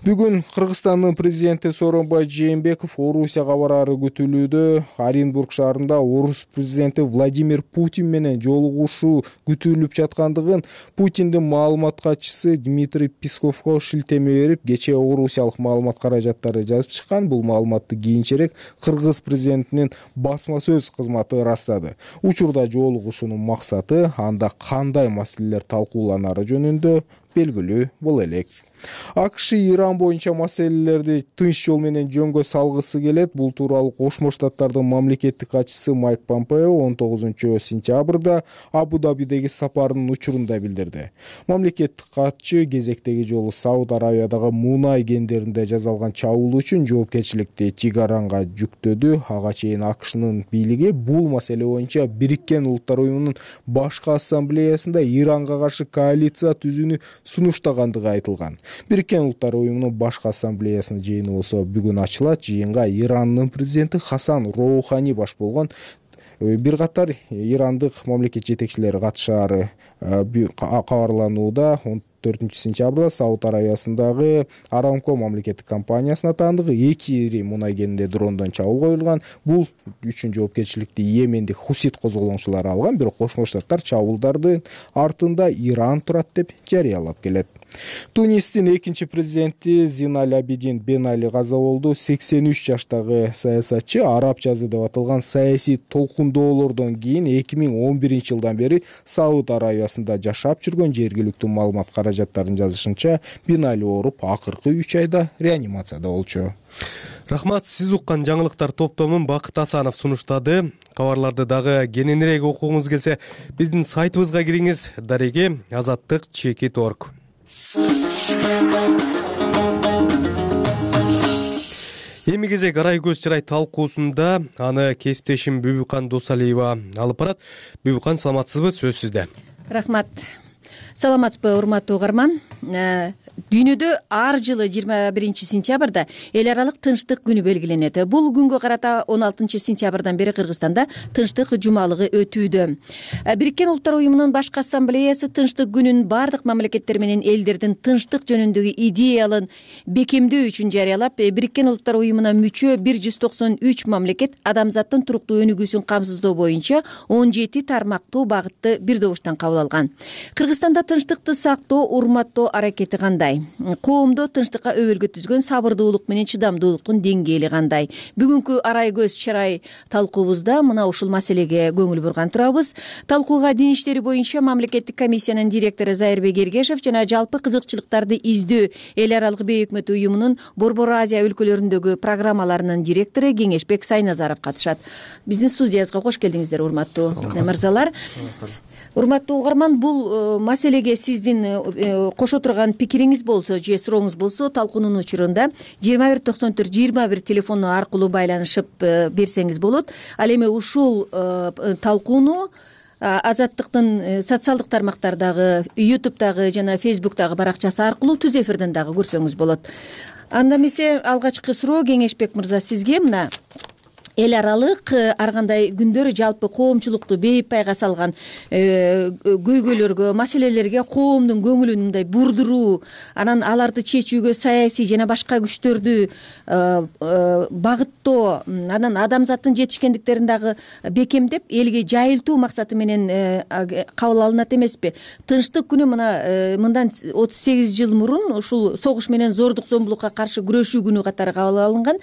Бүгүн Кыргызстандын президенти Сооронбай Жээнбеков Орусияга барары күтүлүүдө. Оренбург шаарында Орус президенти Владимир Путин менен жолугушуу күтүлүп жаткандыгын Путиндин маалымат катчысы Дмитрий Песковго шилтеме берип, кечээ орусиялык маалымат каражаттары жазып чыккан. Бул маалыматты кийинчерээк Кыргыз президентинин басма сөз кызматы ырастады. Учурда жолугушуунун максаты анда кандай маселелер талкууланары жөнүндө белгилүү боло элек. АКШ Иран боюнча маселелерди тынч жол менен жөнгө салгысы келет. Бул тууралуу Кошмо Штаттардын мамлекеттик катчысы Майк Помпео 19 сентябрда Абу-Дабидеги сапарынын учурунда билдирди. Мамлекеттик катчы кезектеги жолу Сауд Аравиядагы мунай кендеринде жасалган чабуул үчүн жоопкерчиликти Тегеранга жүктөдү. Ага чейин АКШнын бийлиги бул маселе боюнча Бириккен Улуттар уюмунун башкы ассамблеясында Иранга каршы коалиция түзүүнү сунуштагандыгы айтылган. Бириккен Улуттар уюмунун башкы ассамблеясынын жыйыны болсо бүгүн ачылат. Жыйынга Ирандын президенти Хасан Роухани баш болгон бир катар ирандык мамлекет жетекчилери катышаары кабарланууда. 4 сентябрда Сауд Аравиясындагы Арамко мамлекеттик компаниясына таандыгы 2 ири мунай кенинде дрондон чабуул коюлган. Бул үчүн жоопкерчиликти Йемендик Хусит козголоңчулары алган. Бирок Кошмо Штаттар чабуулдардын артында Иран турат деп жарыялап келет. Тунистин экинчи президенти Зиналь Абидин Бен Али каза болду. 83 жаштагы саясатчы араб жазы деп аталган саясий толкундоолордон кийин 2011 жылдан бери Сауд Аравиясында жашап жүргөн. Жергиликтүү маалымат каражаттарынын жазышынча Бен Али ооруп акыркы 3 айда реанимацияда болчу. Рахмат, сиз уккан жаңылыктар топтомун Бакыт Асанов сунуштады. Кабарларды дагы кененирээк окугуңуз келсе, биздин сайтыбызга кириңиз. Дареги azattik.org. Эми кезек арай көз чырай талкуусунда аны кесиптешим Бүбүкан Досалиева алып барат. Бүбүкан, саламатсызбы? Сөз сизде. Рахмат. Саламатсызбы, урматтуу угарман. Дүйнөдө ар жылы 21 сентябрда эл аралык тынчтык күнү белгиленет. Бул күнгө карата 16 сентябрдан бери Кыргызстанда тынчтык жумалыгы өтүүдө. Бириккен Улуттар Уюмунун Башкы Ассамблеясы тынчтык күнүн бардык мамлекеттер менен элдердин тынчтык жөнүндөгү идеялын бекемдөө үчүн жарыялап, Бириккен Улуттар Уюмуна мүчө 193 мамлекет адамзаттын туруктуу өнүгүүсүн камсыздоо боюнча 17 тармактуу багытты бир добуштан кабыл алган. Кыргызстанда тынчтыкты сактоо, урматтоо аракети кандай? Коомдо тынчтыкка өбөлгө түзгөн сабырдуулук менен чыдамдуулуктун деңгээли кандай? Бүгүнкү арай көз чырай талкуубузда мына ушул маселеге көңүл бурган турабыз. Талкууга дин иштери боюнча мамлекеттик комиссиянын директору Зайырбек Эргешев жана жалпы кызыкчылыктарды издөө эл аралык бейөкмөт уюмунун Борбор Азия өлкөлөрүндөгү программаларынын директору Кеңешбек Сайназаров катышат. Биздин студиябызга кош келдиңиздер, урматтуу мырзалар. Урматтуу угарман, бул маселеге сиздин кошо турган пикириңиз болсо же сурооңуз болсо, талкуунун учурунда 2194-21 телефону аркылуу байланышып берсеңиз болот. Ал эми ушул талкууну Азаттыктын социалдык тармактардагы, YouTube'дагы жана Facebook'дагы баракчасы аркылуу түз эфирден дагы көрсөңүз болот. Анда эмесе алгачкы суроо Кеңешбек мырза сизге. Мына эл аралык ар кандай күндөр жалпы коомчулукту бейпайга салган көйгөйлөргө, маселелерге коомдун көңүлүн мындай бурдуруу, анан аларды чечүүгө саясий жана башка күчтөрдү багыттоо, анан адамзаттын жетишкендиктерин дагы бекемдеп элге жайылтуу максаты менен кабыл алынат эмеспи? Тынчтык күнү мындан 38 жыл мурун ушул согуш менен зордук зомбулукка каршы күрөшүү күнү катары кабыл алынган.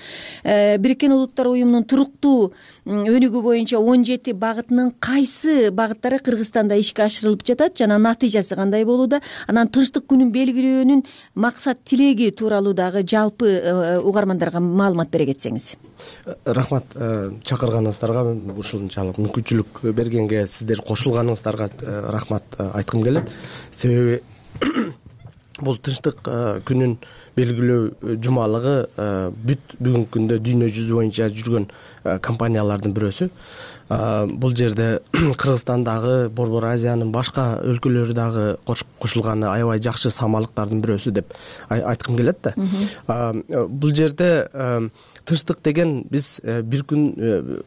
Бириккен Улуттар Уюмунун туруктуу өнүгүү боюнча 17 багытынын кайсы багыттары Кыргызстанда ишке ашырылып жатат жана натыйжасы кандай болууда? Анан тынчтык күнүн белгилөөнүн максат тилеги тууралуу дагы жалпы угармандарга маалымат бере кетсеңиз. Рахмат, чакырганыңыздарга, ушунчалык мүмкүнчүлүк бергенге, сиздер кошулганыңыздарга рахмат айткым келет. Себеби бул тынчтык күнүн белгилөө жумалыгы бүгүнкү күндө дүйнө жүзү боюнча жүргөн компаниялардын бирөөсү. Бул жерде Кыргызстандагы, Борбор Азиянын башка өлкөлөрү дагы кошулганы аябай жакшы самалыктардын бирөөсү деп айткым келет да. Бул жерде тынчтык деген биз бир күн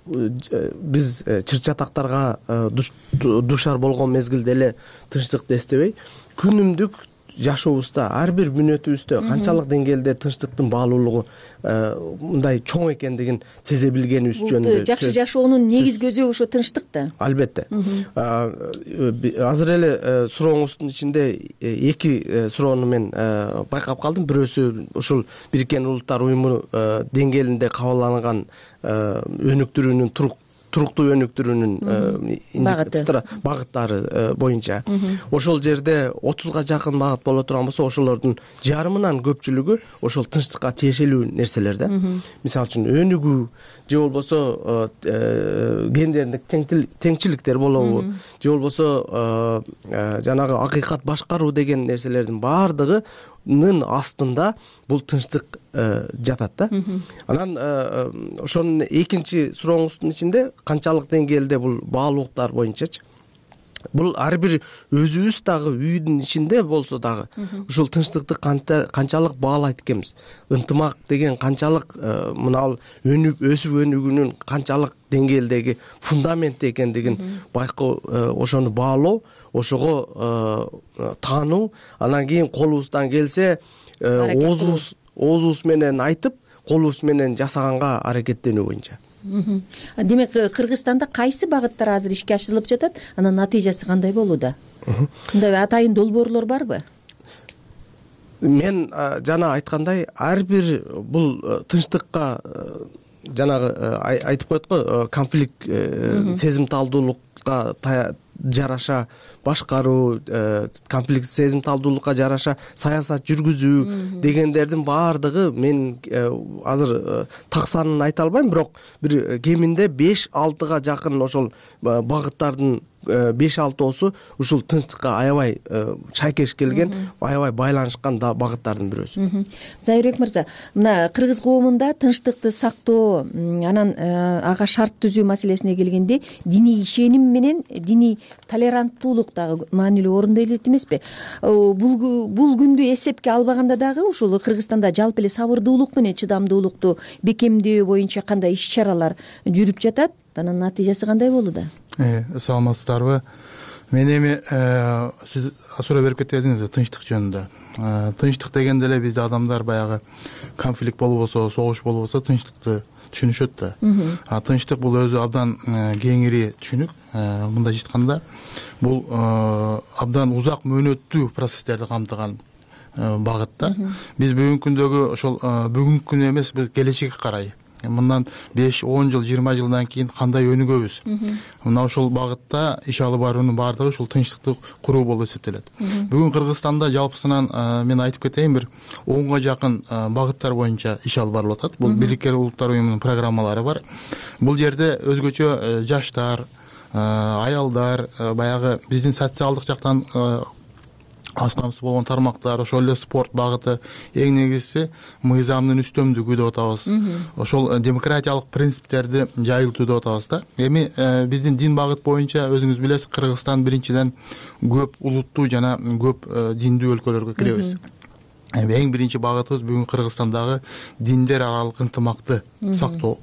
биз чыр-чатактарга душар болгон мезгилде эле тынчтыкты эстебей, күнүмдүк жашообузда ар бир мүнөтүбүздө канчалык деңгээлде тынчтыктын баалуулугу мындай чоң экендигин сезе билгенибиз жөнүндө. Жакшы жашоонун негизги өзөгү ошо тынчтык да. Албетте. Азыр эле сурооңуздун ичинде эки суроону мен байкап калдым. Бирөөсү ушул Бириккен Улуттар Уюму деңгээлинде кабыл алынган өнүктүрүүнүн туруктуу өнүктүрүүнүн багыттары боюнча. Ошол жерде 30га жакын багыт боло турган болсо, ошолордун жарымынан көпчүлүгү ошол тынчтыкка тиешелүү нерселер да. Мисалы үчүн өнүгүү же болбосо гендердик теңчиликтер болобу, же болбосо жанагы акыйкат башкаруу деген нерселердин баардыгынын астында бул тынчтык жатат да. Анан ошонун экинчи сурооңуздун ичинде канчалык деңгээлде бул баалуулуктар боюнчачы, бул ар бир өзүбүз дагы үйдүн ичинде болсо дагы ушул тынчтыкты канчалык баалайт экенбиз, ынтымак деген канчалык мына өсүп өнүгүүнүн канчалык деңгээлдеги фундамент экендигин байкоо, ошону баалоо, ошого таануу, анан кийин колубуздан келсе оозубуз менен айтып, колубуз менен жасаганга аракеттенүү боюнча. Демек, Кыргызстанда кайсы багыттар азыр ишке ашырылып жатат, анан натыйжасы кандай болууда? Мындай атайын долбоорлор барбы? Мен жана айткандай, ар бир бул тынчтыкка жанагы айтып коет го, конфликт, сезимталдуулукка жараша башкаруу, конфликт сезимталдуулукка жараша саясат жүргүзүү дегендердин баардыгы мен азыр так санын айта албайм, бирок бир кеминде 5-6га жакын ошол багыттардын 5-6 ушул тынчтыкка аябай шайкеш келген, аябай байланышкан багыттардын бирөөсү. Зайырбек мырза, мына кыргыз коомунда тынчтыкты сактоо, анан ага шарт түзүү маселесине келгенде диний ишеним менен диний толеранттуулук дагы маанилүү орунда элек эмеспи? Бул күндү эсепке албаганда дагы ушул Кыргызстанда жалпы эле сабырдуулук менен чыдамдуулукту бекемдөө боюнча кандай иш-чаралар жүрүп жатат? Анын натыйжасы кандай болууда? Саламатсыздарбы? Мен эми сиз суроо берип кетдиңиз тынчтык жөнүндө. Тынчтык дегенде эле бизде адамдар баягы конфликт болбосо, согуш болбосо тынчтыкты түшүнүшөт да. Тынчтык бул өзү абдан кеңири түшүнүк. Мындайча айтканда, бул абдан узак мөөнөттүү процесстерди камтыган багыт да. Биз бүгүнкү күндөгү ошол бүгүнкү күнү эмес, биз келечекке карай мындан 5-10 жыл, 20 жылдан кийин кандай өнүгөбүз? Мына ошол багытта иш алып баруунун баардыгы ушул тынчтыкты куруу болуп эсептелет. Бүгүн Кыргызстанда жалпысынан мен айтып кетейин, бир 10га жакын багыттар боюнча иш алып барылып атат. Бул Бириккен Улуттар уюмунун программалары бар. Бул жерде өзгөчө жаштар, аялдар, баягы биздин социалдык жактан аз камсыз болгон тармактар, ошол эле спорт багыты, эң негизгиси мыйзамдын үстөмдүгү деп атабыз. Ошол демократиялык принциптерди жайылтуу деп атабыз да. Эми биздин дин багыт боюнча өзүңүз билесиз, Кыргызстан биринчиден көп улуттуу жана көп диндүү өлкөлөргө киребиз. Эң биринчи багытыбыз бүгүн Кыргызстандагы диндер аралык ынтымакты сактоо.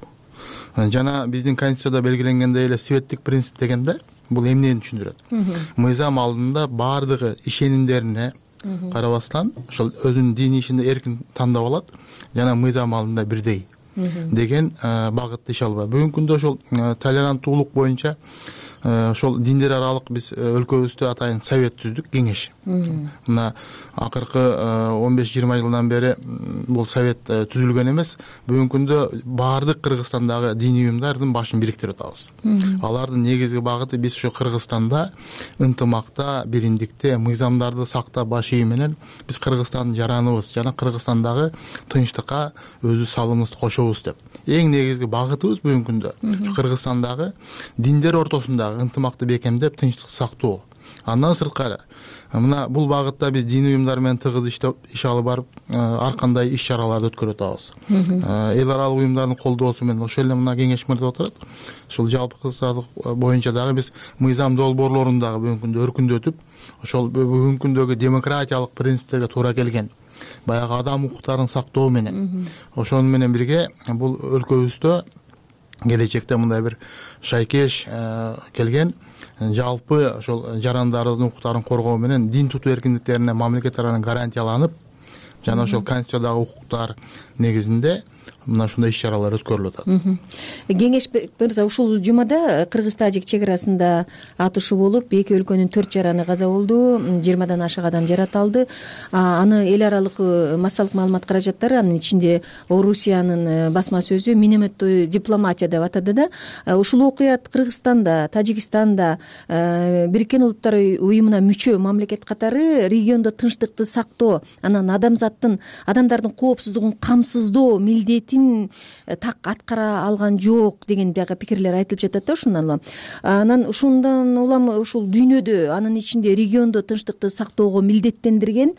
Жана биздин конституцияда белгиленгендей эле светтик принцип дегенде бул эмнени түшүндүрөт? Мыйзам алдында баардыгы ишенимдерине карабастан ошол өзүнүн диний ишинде эркин тандап алат жана мыйзам алдында бирдей деген багытты иш алып. Бүгүнкү күндө ошол толеранттуулук боюнча ошол диндер аралык биз өлкөбүздө атайын совет түздүк, кеңеш. Мына акыркы 15-20 жылдан бери бул совет түзүлгөн эмес. Бүгүнкү күндө баардык Кыргызстандагы диний уюмдардын башын бириктирип атабыз. Алардын негизги багыты биз ошо Кыргызстанда ынтымакта, биримдикте, мыйзамдарды сактап баш ийүү менен биз Кыргызстандын жараныбыз жана Кыргызстандагы тынчтыкка өзү салымыбызды кошобуз деп. Эң негизги багытыбыз бүгүнкү күндө Кыргызстандагы диндер ортосундагы ынтымакты бекемдеп, тынчтыкты сактоо. Андан сырткары, мына бул багытта биз диний уюмдар менен тыгыз иш алып барып, ар кандай иш-чараларды өткөрүп атабыз. Эл аралык уюмдардын колдоосу менен ошол эле мына кеңеш мырза отурат. Ушул жалпы кыргызстандык боюнча дагы биз мыйзам долбоорлорун дагы бүгүнкү күндө өркүндөтүп, ошол бүгүнкү күндөгү демократиялык принциптерге туура келген баягы адам укуктарын сактоо менен, ошону менен бирге бул өлкөбүздө келечекте мындай бир шайкеш келген жалпы ошол жарандарыбыздын укуктарын коргоо менен дин тутуу эркиндиктерине мамлекет тарабынан гарантияланып, жана ошол конституциядагы укуктар негизинде мына ушундай иш-чаралар өткөрүлүп атат. Кеңеш мырза, ушул жумада кыргыз-тажик чек арасында атышуу болуп, эки өлкөнүн 4 жараны каза болду, 20дан ашык адам жаратылды. Аны эл аралык массалык маалымат каражаттары, анын ичинде Орусиянын басма сөзү минометтүү дипломатия деп атады да. Ушул окуя Кыргызстанда, Тажикстанда, Бириккен Улуттар уюмуна мүчө мамлекет катары региондо тынчтыкты сактоо, анан адамдардын коопсуздугун камсыздоо милдетин так аткара алган жок деген дагы пикирлер айтылып жатат да. Ушундан улам ушул дүйнөдө, анын ичинде региондо тынчтыкты сактоого милдеттендирген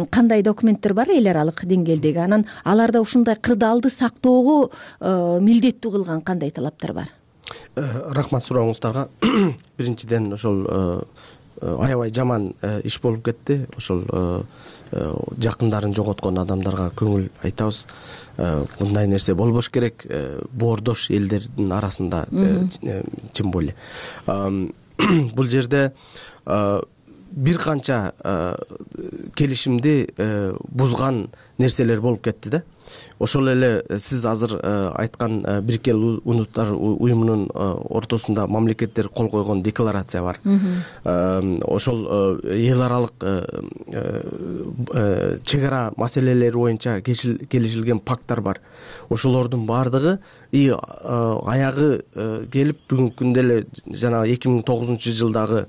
кандай документтер бар эл аралык деңгээлдеги? Анан аларда ушундай кырдаалды сактоого милдеттүү кылган кандай талаптар бар? Рахмат сурооңуздарга. Биринчиден ошол аябай жаман иш болуп кетти. Ошол жакындарын жоготкон адамдарга көңүл айтабыз. Мындай нерсе болбош керек, боордош элдердин арасында тем более. Бул жерде бир канча келишимди бузган нерселер болуп кетти да. Ошол эле сиз азыр айткан Бириккен Улуттар уюмунун ортосунда мамлекеттер кол койгон декларация бар. Ошол эл аралык чек ара маселелери боюнча келишилген пакттар бар. Ошолордун баардыгы аягы келип бүгүнкү күндө эле жана 2009-жылдагы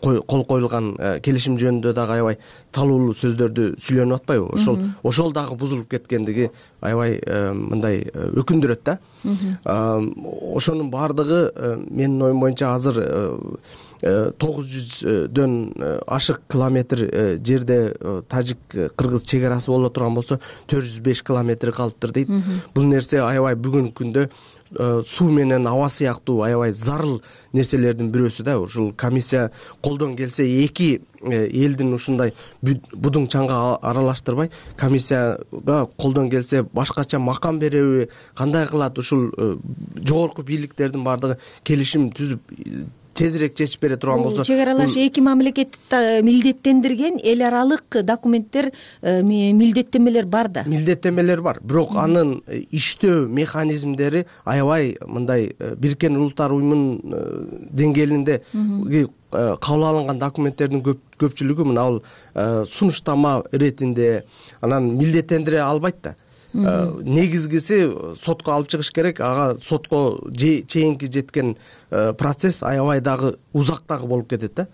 кол коюлган келишим жөнүндө дагы аябай талуулуу сөздөрдү сүйлөнүп атпайбы? Ошол дагы бузулуп кеткен эткендиги аябай мындай өкүндүрөт да. Ошонун баардыгы менин оюм боюнча азыр 900дөн ашык километр жерде тажик-кыргыз чек-арасы боло турган болсо 405 километри калыптыр дейт. Бул нерсе аябай бүгүнкү күндө суу менен аба сыяктуу аябай зарыл нерселердин бирөөсү да. Ушул комиссия колдон келсе эки элдин ушундай будуң чаңга аралаштырбай, комиссияга колдон келсе башкача макам береби, кандай кылат, ушул жогорку бийликтердин баардыгы келишим түзүп тезирээк чечип бере турган болсо. Чек аралаш эки мамлекетти милдеттендирген эл аралык документтер, милдеттенмелер бар да. Милдеттенмелер бар, бирок анын иштөө механизмдери аябай мындай Бириккен Улуттар уюмунун деңгээлинде кабыл алынган документтердин көпчүлүгү мына бул сунуштама иретинде, анан милдеттендире албайт да. Негизгиси сотко алып чыгыш керек. Ага сотко чейинки жеткен процесс аябай дагы узак дагы болуп кетет да.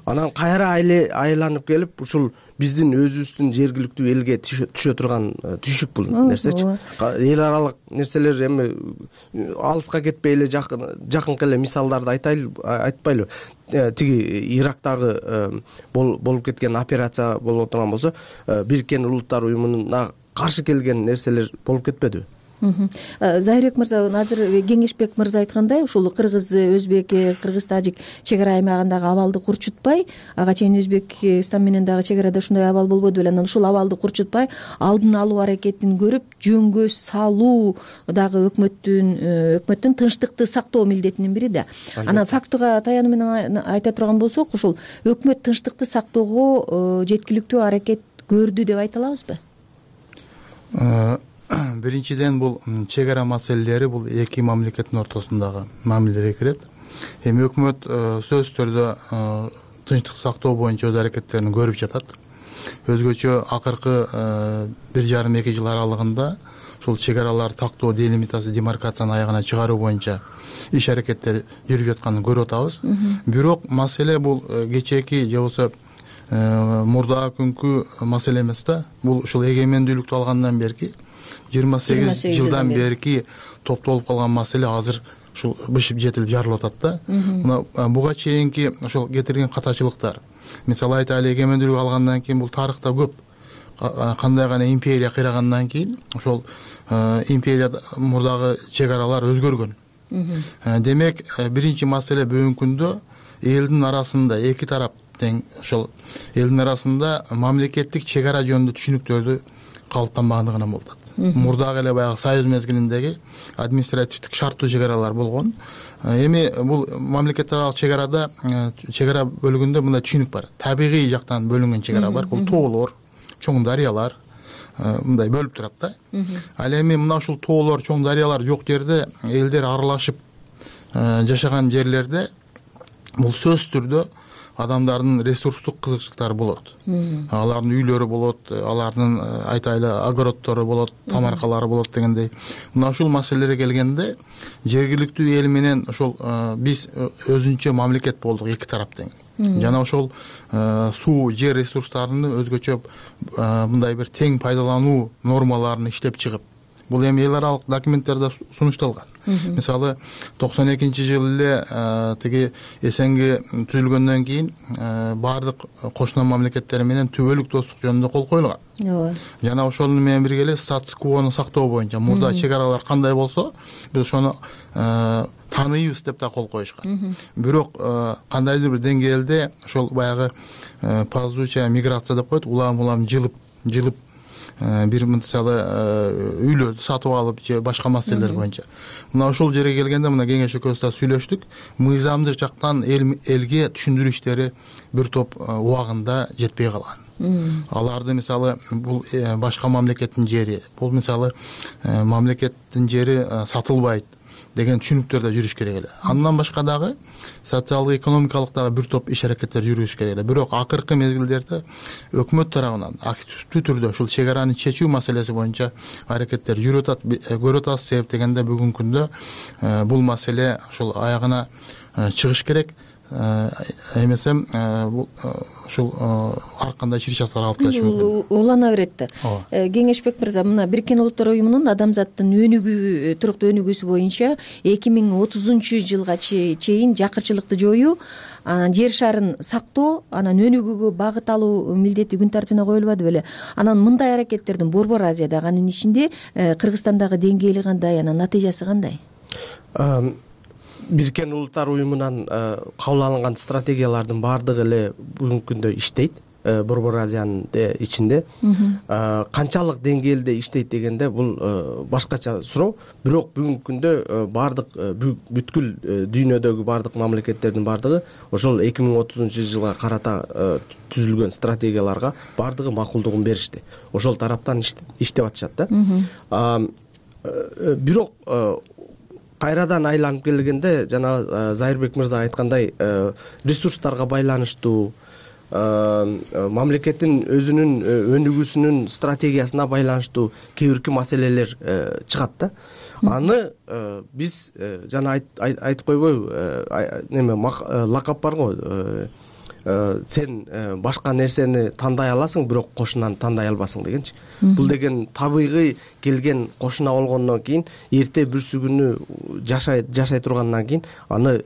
Анан кайра айланып келип ушул биздин өзүбүздүн жергиликтүү элге түшө турган түшүк бул нерсечи. Эл аралык нерселер эми алыска кетпей эле жакынкы эле мисалдарды айтпайлыбы. Тиги Ирактагы болуп кеткен операция болуп турган болсо, Бириккен Улуттар уюмуна каршы келген нерселер болуп кетпедиби? Зайырбек мырза, азыр Кеңешбек мырза айткандай, ушул кыргыз өзбек, кыргыз тажик чек ара аймагындагы абалды курчутпай, ага чейин Өзбекстан менен дагы чек арада ушундай абал болбоду беле, анан ушул абалды курчутпай алдын алуу аракетин көрүп, жөнгө салуу дагы өкмөттүн тынчтыкты сактоо милдетинин бири да. Анан фактыга таянуу менен айта турган болсок, ушул өкмөт тынчтыкты сактоого жеткиликтүү аракет көрдү деп айта алабызбы? Биринчиден бул чек ара маселелери бул эки мамлекеттин ортосундагы мамилелерге кирет. Эми өкмөт сөзсүз түрдө тынчтык сактоо боюнча өз аракеттерин көрүп жатат. Өзгөчө акыркы 1,5-2 жыл аралыгында ушул чек араларды тактоо, делимитация, демаркацияны аягына чыгаруу боюнча иш аракеттер жүрүп жатканын көрүп атабыз. Бирок маселе бул кечээки же болбосо мурдагы күнкү маселе эмес да. Бул ушул эгемендүүлүктү алгандан берки 28 жылдан берки топтолуп калган маселе азыр ушул бышып жетилип жарылып атат да. Мына буга чейинки ошол кетирген катачылыктар, мисалы айтайлы, эгемендүүлүк алгандан кийин бул тарыхта көп кандай гана империя кыйрагандан кийин ошол империя мурдагы чек аралар өзгөргөн. Демек, биринчи маселе бүгүнкү күндө элдин арасында эки тарап тең ошол элдин арасында мамлекеттик чек ара жөнүндө түшүнүктөрдү калыптанбагандыгынан болуп атат. Мурдагы эле баягы Союз мезгилиндеги административдик шарттуу чек аралар болгон. Эми бул мамлекеттер аралык чек арада, чек ара бөлүгүндө мындай түшүнүк бар. Табигый жактан бөлүнгөн чек ара бар. Бул тоолор, чоң дарыялар мындай бөлүп турат да. Ал эми мына ушул тоолор, чоң дарыялар жок жерде элдер аралашып жашаган жерлерде бул сөзсүз түрдө адамдардын ресурстук кызыкчылыктары болот. Алардын үйлөрү болот, алардын айтайлы огороддору болот, тамаркалары болот дегендей. Мына ушул маселелерге келгенде жергиликтүү эл менен ошол биз өзүнчө мамлекет болдук эки тарап тең. Жана ошол суу, жер ресурстарын өзгөчө мындай бир тең пайдалануу нормаларын иштеп чыгып, бул эми эл аралык документтерде сунушталган. Мисалы 92-жылы эле тиги СНГ түзүлгөндөн кийин баардык кошуна мамлекеттер менен түбөлүк достук жөнүндө кол коюлган. Жана ошол менен бирге эле статус-квону сактоо боюнча мурда чек аралар кандай болсо, биз ошону тааныйбыз деп да кол коюшкан. Бирок кандайдыр бир деңгээлде ошол баягы ползучая миграция деп коет, улам жылып бир мисалы үйлөрдү сатып алып же башка маселелер боюнча. Мына ошол жерге келгенде мына кеңеш экөөбүз да сүйлөштүк. Мыйзамдык жактан элге түшүндүрүү иштери бир топ убагында жетпей калган. Аларды мисалы бул башка мамлекеттин жери, бул мисалы мамлекеттин жери сатылбайт деген түшүнүктөрдө жүрүш керек эле. Андан башка дагы социалдык, экономикалык дагы бир топ иш аракеттер жүрүш керек эле. Бирок акыркы мезгилдерде өкмөт тарабынан активдүү түрдө ушул чек араны чечүү маселеси боюнча аракеттер жүрүп атат, көрүп атабыз. Себеп дегенде бүгүнкү күндө бул маселе ушул аягына чыгыш керек. эмесем ушул ар кандай чыр-чатар алып келиши мүмкүн. Улана берет да. Кеңешбек мырза, мына Бириккен Улуттар уюмунун адамзаттын өнүгүү, туруктуу өнүгүүсү боюнча 2030-жылга чейин жакырчылыкты жоюу, жер шарын сактоо, анан өнүгүүгө багыт алуу милдети күн тартибине коюлбады беле? Анан мындай аракеттердин Борбор Азиядагы, анын ичинде Кыргызстандагы деңгээли кандай, анан натыйжасы кандай? Бириккен Улуттар уюмунан кабыл алынган стратегиялардын баардыгы эле бүгүнкү күндө иштейт. Борбор Азиянын ичинде канчалык деңгээлде иштейт дегенде бул башкача суроо. Бирок бүгүнкү күндө баардык бүткүл дүйнөдөгү баардык мамлекеттердин баардыгы ошол 2030-жылга карата түзүлгөн стратегияларга баардыгы макулдугун беришти. Ошол тараптан иштеп атышат да. Бирок кайрадан айланып келгенде жана Зайырбек мырза айткандай ресурстарга байланыштуу, мамлекеттин өзүнүн өнүгүүсүнүн стратегиясына байланыштуу кээ бирки маселелер чыгат да. Аны биз жана айтып койбойбу, лакап бар го, сен башка нерсени тандай аласың, бирок кошунаны тандай албасың дегенчи. Бул деген табигый келген кошуна болгондон кийин эрте бүрсү күнү жашай тургандан кийин аны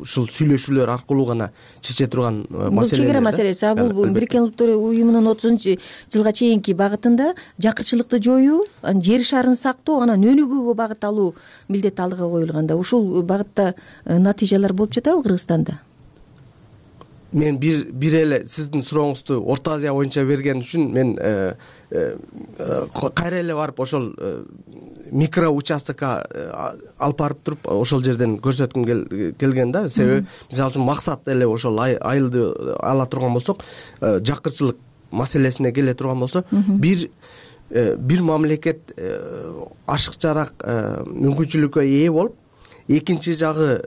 ушул сүйлөшүүлөр аркылуу гана чече турган маселе. Бул чек ара маселеси. Бул Бириккен Улуттар уюмунун 30-жылга чейинки багытында жакырчылыкты жоюу, жер шарын сактоо, анан өнүгүүгө багыт алуу милдет алдыга коюлганда, ушул багытта натыйжалар болуп жатабы Кыргызстанда? Мен бир эле сиздин сурооңузду Орто Азия боюнча берген үчүн мен кайра эле барып ошол микро участокко алып барып туруп ошол жерден көрсөткүм келген да. Себеби мисалы үчүн максат эле ошол айылды ала турган болсок, жакырчылык маселесине келе турган болсо, бир мамлекет ашыкчараак мүмкүнчүлүккө ээ болуп, экинчи жагы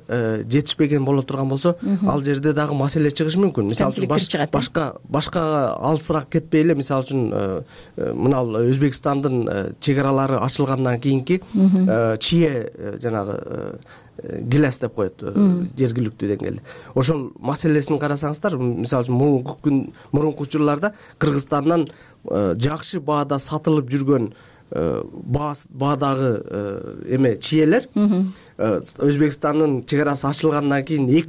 жетишпеген боло турган болсо, ал жерде дагы маселе чыгышы мүмкүн. Мисалы үчүн башка алысыраак кетпей эле, мисалы үчүн мына Өзбекстандын чек аралары ачылгандан кийинки чие жанагы гиляс деп коет жергиликтүү деңгээлде. Ошол маселесин карасаңыздар, мисалы үчүн мурунку учурларда Кыргызстандан жакшы баада сатылып жүргөн баадагы чиелер Өзбекстандын чек арасы ачылгандан кийин 2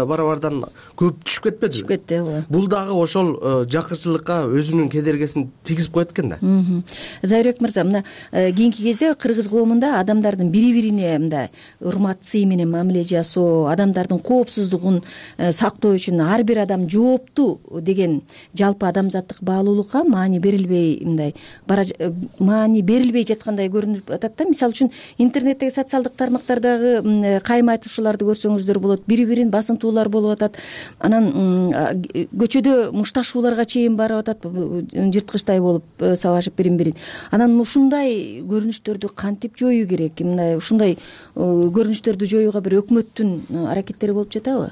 барабардан көп түшүп кетпеди. Түшүп кетти, ооба. Бул дагы ошол жакырчылыкка өзүнүн кедергесин тийгизип коет экен да. Зайырбек мырза, мына кийинки кезде кыргыз коомунда адамдардын бири-бирине мындай урмат сый менен мамиле жасоо, адамдардын коопсуздугун сактоо үчүн ар бир адам жооптуу деген жалпы адамзаттык баалуулукка маани берилбей жаткандай көрүнүп атат да. Мисалы үчүн интернеттеги социалдык тармактардагы кайым айтышууларды көрсөңүздөр болот, бири-бирин басынтуулар болуп атат. Анан көчөдө мушташууларга чейин барып атат, жырткычтай болуп сабашып бирин-бирин. Анан ушундай көрүнүштөрдү кантип жоюу керек? Мындай ушундай көрүнүштөрдү жоюуга бир өкмөттүн аракеттери болуп жатабы?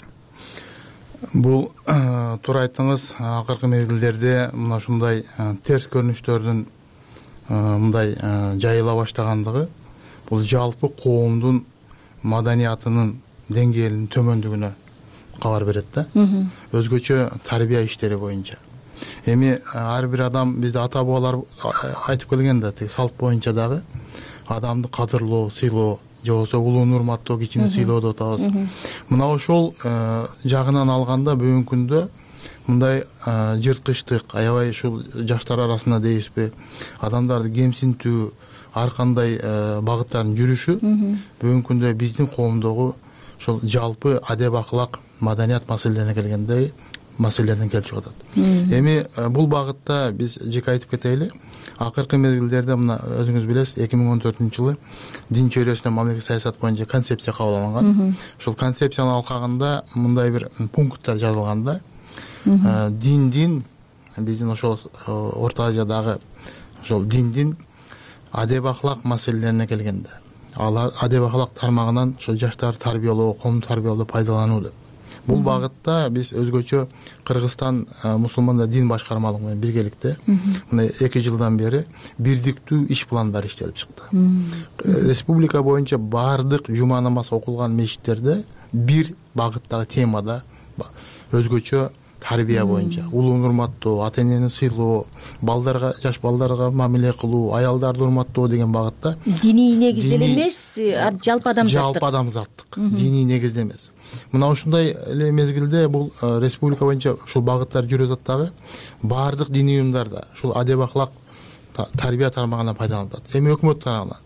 Бул туура айттыңыз. Акыркы мезгилдерде мына ушундай терс көрүнүштөрдүн мындай жайыла баштагандыгы бул жалпы коомдун маданиятынын деңгээлинин төмөндүгүнө кабар берет да. Өзгөчө тарбия иштери боюнча. Эми ар бир адам, бизде ата бабалар айтып келген да, тиги салт боюнча дагы адамды кадырлоо, сыйлоо, же болбосо улууну урматтоо, кичини сыйлоо деп атабыз. Мына ошол жагынан алганда бүгүнкү күндө мындай жырткычтык, аябай ушул жаштар арасында дейбизби, адамдарды кемсинтүү, ар кандай багыттардын жүрүшү бүгүнкү күндө биздин коомдогу ошол жалпы адеп акылак, маданият маселелерине келгенде маселелерден келип атат. Эми бул багытта биз жеке айтып кетели. Акыркы мезгилдерде мына өзүңүз билесиз, 2014-жылы дин чөйрөсүнө мамлекеттик саясат боюнча концепция кабыл алынган. Ошол концепциянын алкагында мындай бир пункттар жазылган да. Диндин, биздин ошол Орто Азиядагы ошол диндин адеп акылак маселелерине келгенде, алар адеп акылак тармагынан ошол жаштарды тарбиялоо, коомду тарбиялоодо пайдалануу деп. Бул багытта биз өзгөчө Кыргызстан мусулмандар дин башкармалыгы менен биргеликте мына 2 жылдан бери бирдиктүү иш пландар иштелип чыкты. Республика боюнча баардык жума намаз окулган мечиттерде бир багыттагы темада өзгөчө тарбия боюнча улууну урматтоо, ата энени сыйлоо, балдарга, жаш балдарга мамиле кылуу, аялдарды урматтоо деген багытта диний негизде эмес, жалпы адамзаттык диний негизде эмес. Мына ушундай эле мезгилде бул республика боюнча ушул багыттар жүрүп атат дагы. Баардык диний уюмдарда ушул адеп ахлак тарбия тармагынан пайдаланылат. Эми өкмөт тарабынан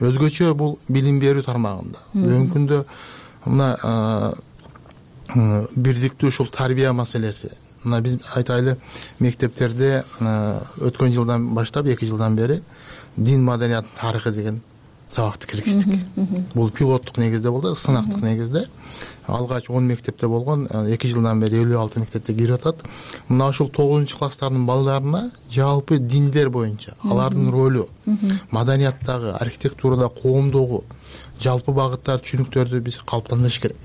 өзгөчө бул билим берүү тармагында бүгүнкү күндө мына бирдиктүү ушул тарбия маселеси. Мына биз айтайлы, мектептерде өткөн жылдан баштап 2 жылдан бери дин маданиятынын тарыхы деген сабакты киргиздик. Бул пилоттук негизде болду, сынактык негизде. Алгач 10 мектепте болгон, 2 жылдан бери 56 мектепте кирип атат. Мына ушул 9-класстардын балдарына жалпы диндер боюнча алардын ролу, маданияттагы, архитектурада, коомдогу жалпы багыттар, түшүнүктөрдү биз калыптандырыш керек.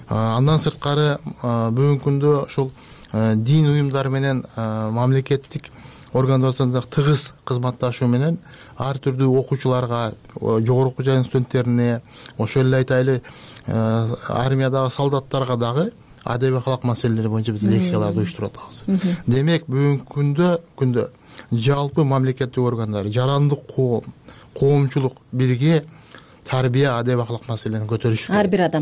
Андан сырткары бүгүнкү күндө ушул дин уюмдары менен мамлекеттик организацияларда тыгыз кызматташуу менен ар түрдүү окуучуларга, жогорку окуу жайдын студенттерине, ошол эле айтайлы армиядагы солдаттарга дагы адеп ахлак маселелери боюнча биз лекцияларды уюштуруп атабыз. Демек бүгүнкү күндө жалпы мамлекеттик органдар, жарандык коом, коомчулук бирге тарбия, адеп ахлак маселени көтөрүш керек.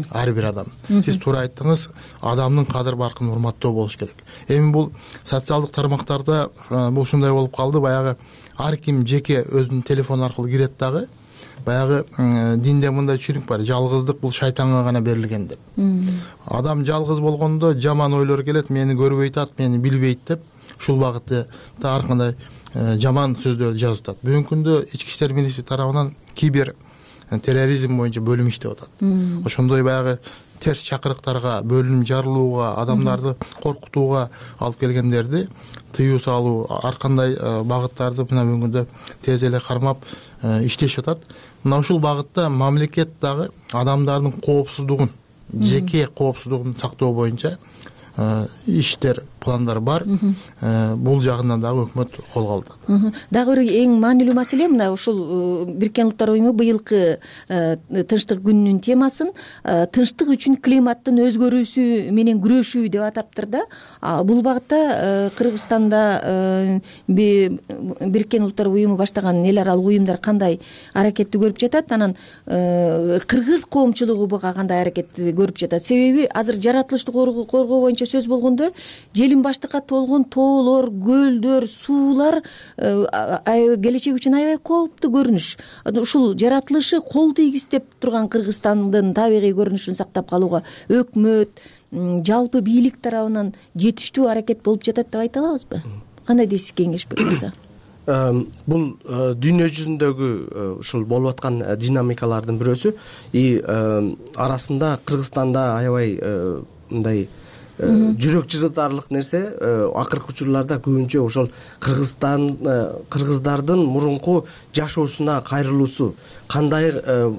Ар бир адам. Сиз туура айттыңыз, адамдын кадыр баркын урматтоо болуш керек. Эми бул социалдык тармактарда бул ушундай болуп калды, баягы ар ким жеке өзүнүн телефону аркылуу кирет дагы. Баягы динде мындай түшүнүк бар, жалгыздык бул шайтанга гана берилген деп. Адам жалгыз болгондо жаман ойлор келет, мени көрбөй атат, мени билбейт деп, ушул багытта ар кандай жаман сөздөрдү жазып атат. Бүгүнкү күндө Ички иштер министрлиги тарабынан кибер терроризм боюнча бөлүм иштеп атат. Ошондой баягы терс чакырыктарга, бөлүм жарылууга, адамдарды коркутууга алып келгендерди тыюу салуу, ар кандай багыттарды мына бүгүнкү күндө тез эле кармап иштешип атат. Мына ушул багытта мамлекет дагы адамдардын коопсуздугун, жеке коопсуздугун сактоо боюнча иштер, пландар бар. Бул жагынан дагы өкмөт колго алат. Дагы бир эң маанилүү маселе мына ушул Бириккен Улуттар уюму быйылкы тынчтык күнүнүн темасын тынчтык үчүн климаттын өзгөрүүсү менен күрөшүү деп атаптыр да. Бул багытта Кыргызстанда Бириккен Улуттар уюму баштаган эл аралык уюмдар кандай аракетти көрүп жатат, анан кыргыз коомчулугу буга кандай аракетти көрүп жатат? Себеби азыр жаратылышты коргоо боюнча сөз болгондо желим баштыкка толгон тоолор, көлдөр, суулар келечек үчүн аябай кооптуу көрүнүш. Ушул жаратылышы кол тийгизтеп турган Кыргызстандын табигый көрүнүшүн сактап калууга өкмөт, жалпы бийлик тарабынан жетиштүү аракет болуп жатат деп айта алабызбы? Кандай дейсиз, кеңешбек мырза? Бул дүйнө жүзүндөгү ушул болуп аткан динамикалардын бирөөсү. Арасында Кыргызстанда аябай мындай жүрөк жырытарлык нерсе, акыркы учурларда көбүнчө ошол кыргыздардын мурунку жашоосуна кайрылуусу, кандай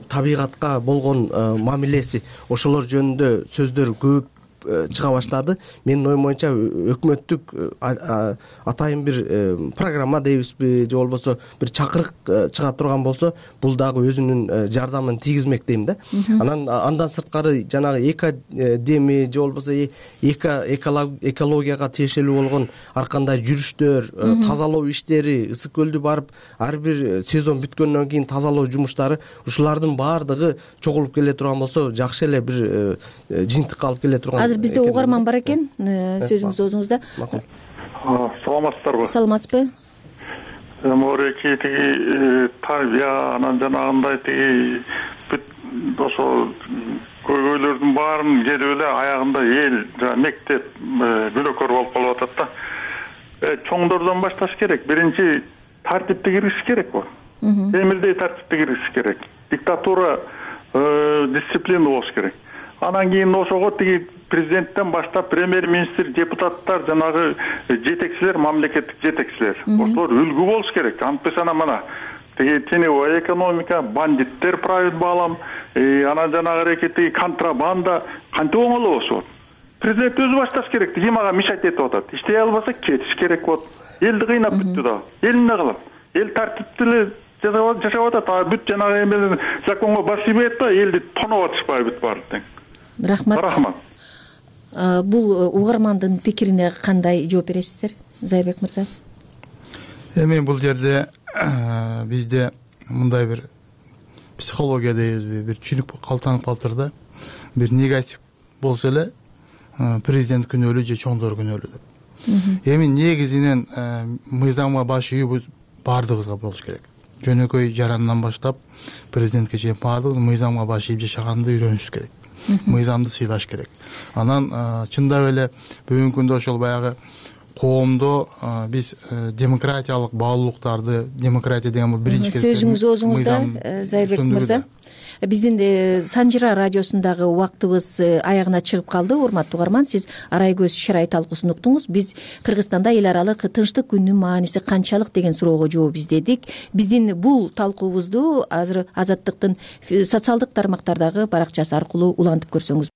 табигатка болгон мамилеси, ошолор жөнүндө сөздөр көп чыга баштады. Менин оюм боюнча өкмөттүк атайын бир программа дейбизби, же болбосо бир чакырык чыга турган болсо, бул дагы өзүнүн жардамын тийгизмек дейм да. Андан сырткары жанагы экодеми же болбосо экологияга тиешелүү болгон ар кандай жүрүштөр, тазалоо иштери, ысык көлдү барып ар бир сезон бүткөндөн кийин тазалоо жумуштары, ушулардын баардыгы чогулуп келе турган болсо, жакшы эле бир жыйынтыкка алып келе турган. Азыр бизде угарман бар экен, сөзүңүз оозуңузда. Саламатсыздарбы? Саламатсызбы? Мореки тиги тарбия, анан жанагындай тиги бүт ошо көйгөйлөрдүн баарын келип эле аягында эл, мектеп күнөөкөр болуп калып атат да. Чоңдордон башташ керек. Биринчи тартипти киргизиш керек бул. Темирдей тартипти киргизиш керек. Диктатура, дисциплина болуш керек. Анан кийин ошого тиги президенттен баштап премьер-министр, депутаттар, жанагы жетекчилер, мамлекеттик жетекчилер, ошолор үлгү болуш керек. Антпесен мана тиги теневой экономика, бандиттер правит баалам, анан жанагы аракети контрабанда кантип оңоло болот? Президент өзү башташ керек. Ким ага мешать этип атат? Иштей албаса кетиш керек болот. Элди кыйнап бүттү да. Эл эмне кылат? Эл тартиптүү жашап атат. Бүт жанагы законго бас ийбейт да, элди тоноп атышпайбы бүт баары тең. рахмат. Бул угармандын пикирине кандай жооп бересиздер, Зайырбек мырза? Эми бул жерде бизде мындай бир психология дейбизби, бир түшүнүк калтанып калыптыр да. Бир негатив болсо эле президент күнөөлүү же чоңдор күнөөлүү деп. Эми негизинен мыйзамга баш ийүүбүз баардыгыбызга болуш керек. Жөнөкөй жарандан баштап президентке чейин баардыгыбыз мыйзамга баш ийип жашаганды үйрөнүшүбүз керек. Мыйзамды сыйлаш керек. Анан чындап эле бүгүнкү күндө ошол баягы коомдо биз демократиялык баалуулуктарды, демократия деген бул биринчи кезекте сөзүңүз оозуңузда, Зайырбек мырза. Биздин Санжыра радиосундагы убактыбыз аягына чыгып калды. Урматтуу угарман, сиз арай көз шырай талкуусун уктуңуз. Биз Кыргызстанда эл аралык тынчтык күнүнүн мааниси канчалык деген суроого жооп издедик. Биздин бул талкуубузду азыр Азаттыктын социалдык тармактардагы баракчасы аркылуу улантып көрсөңүз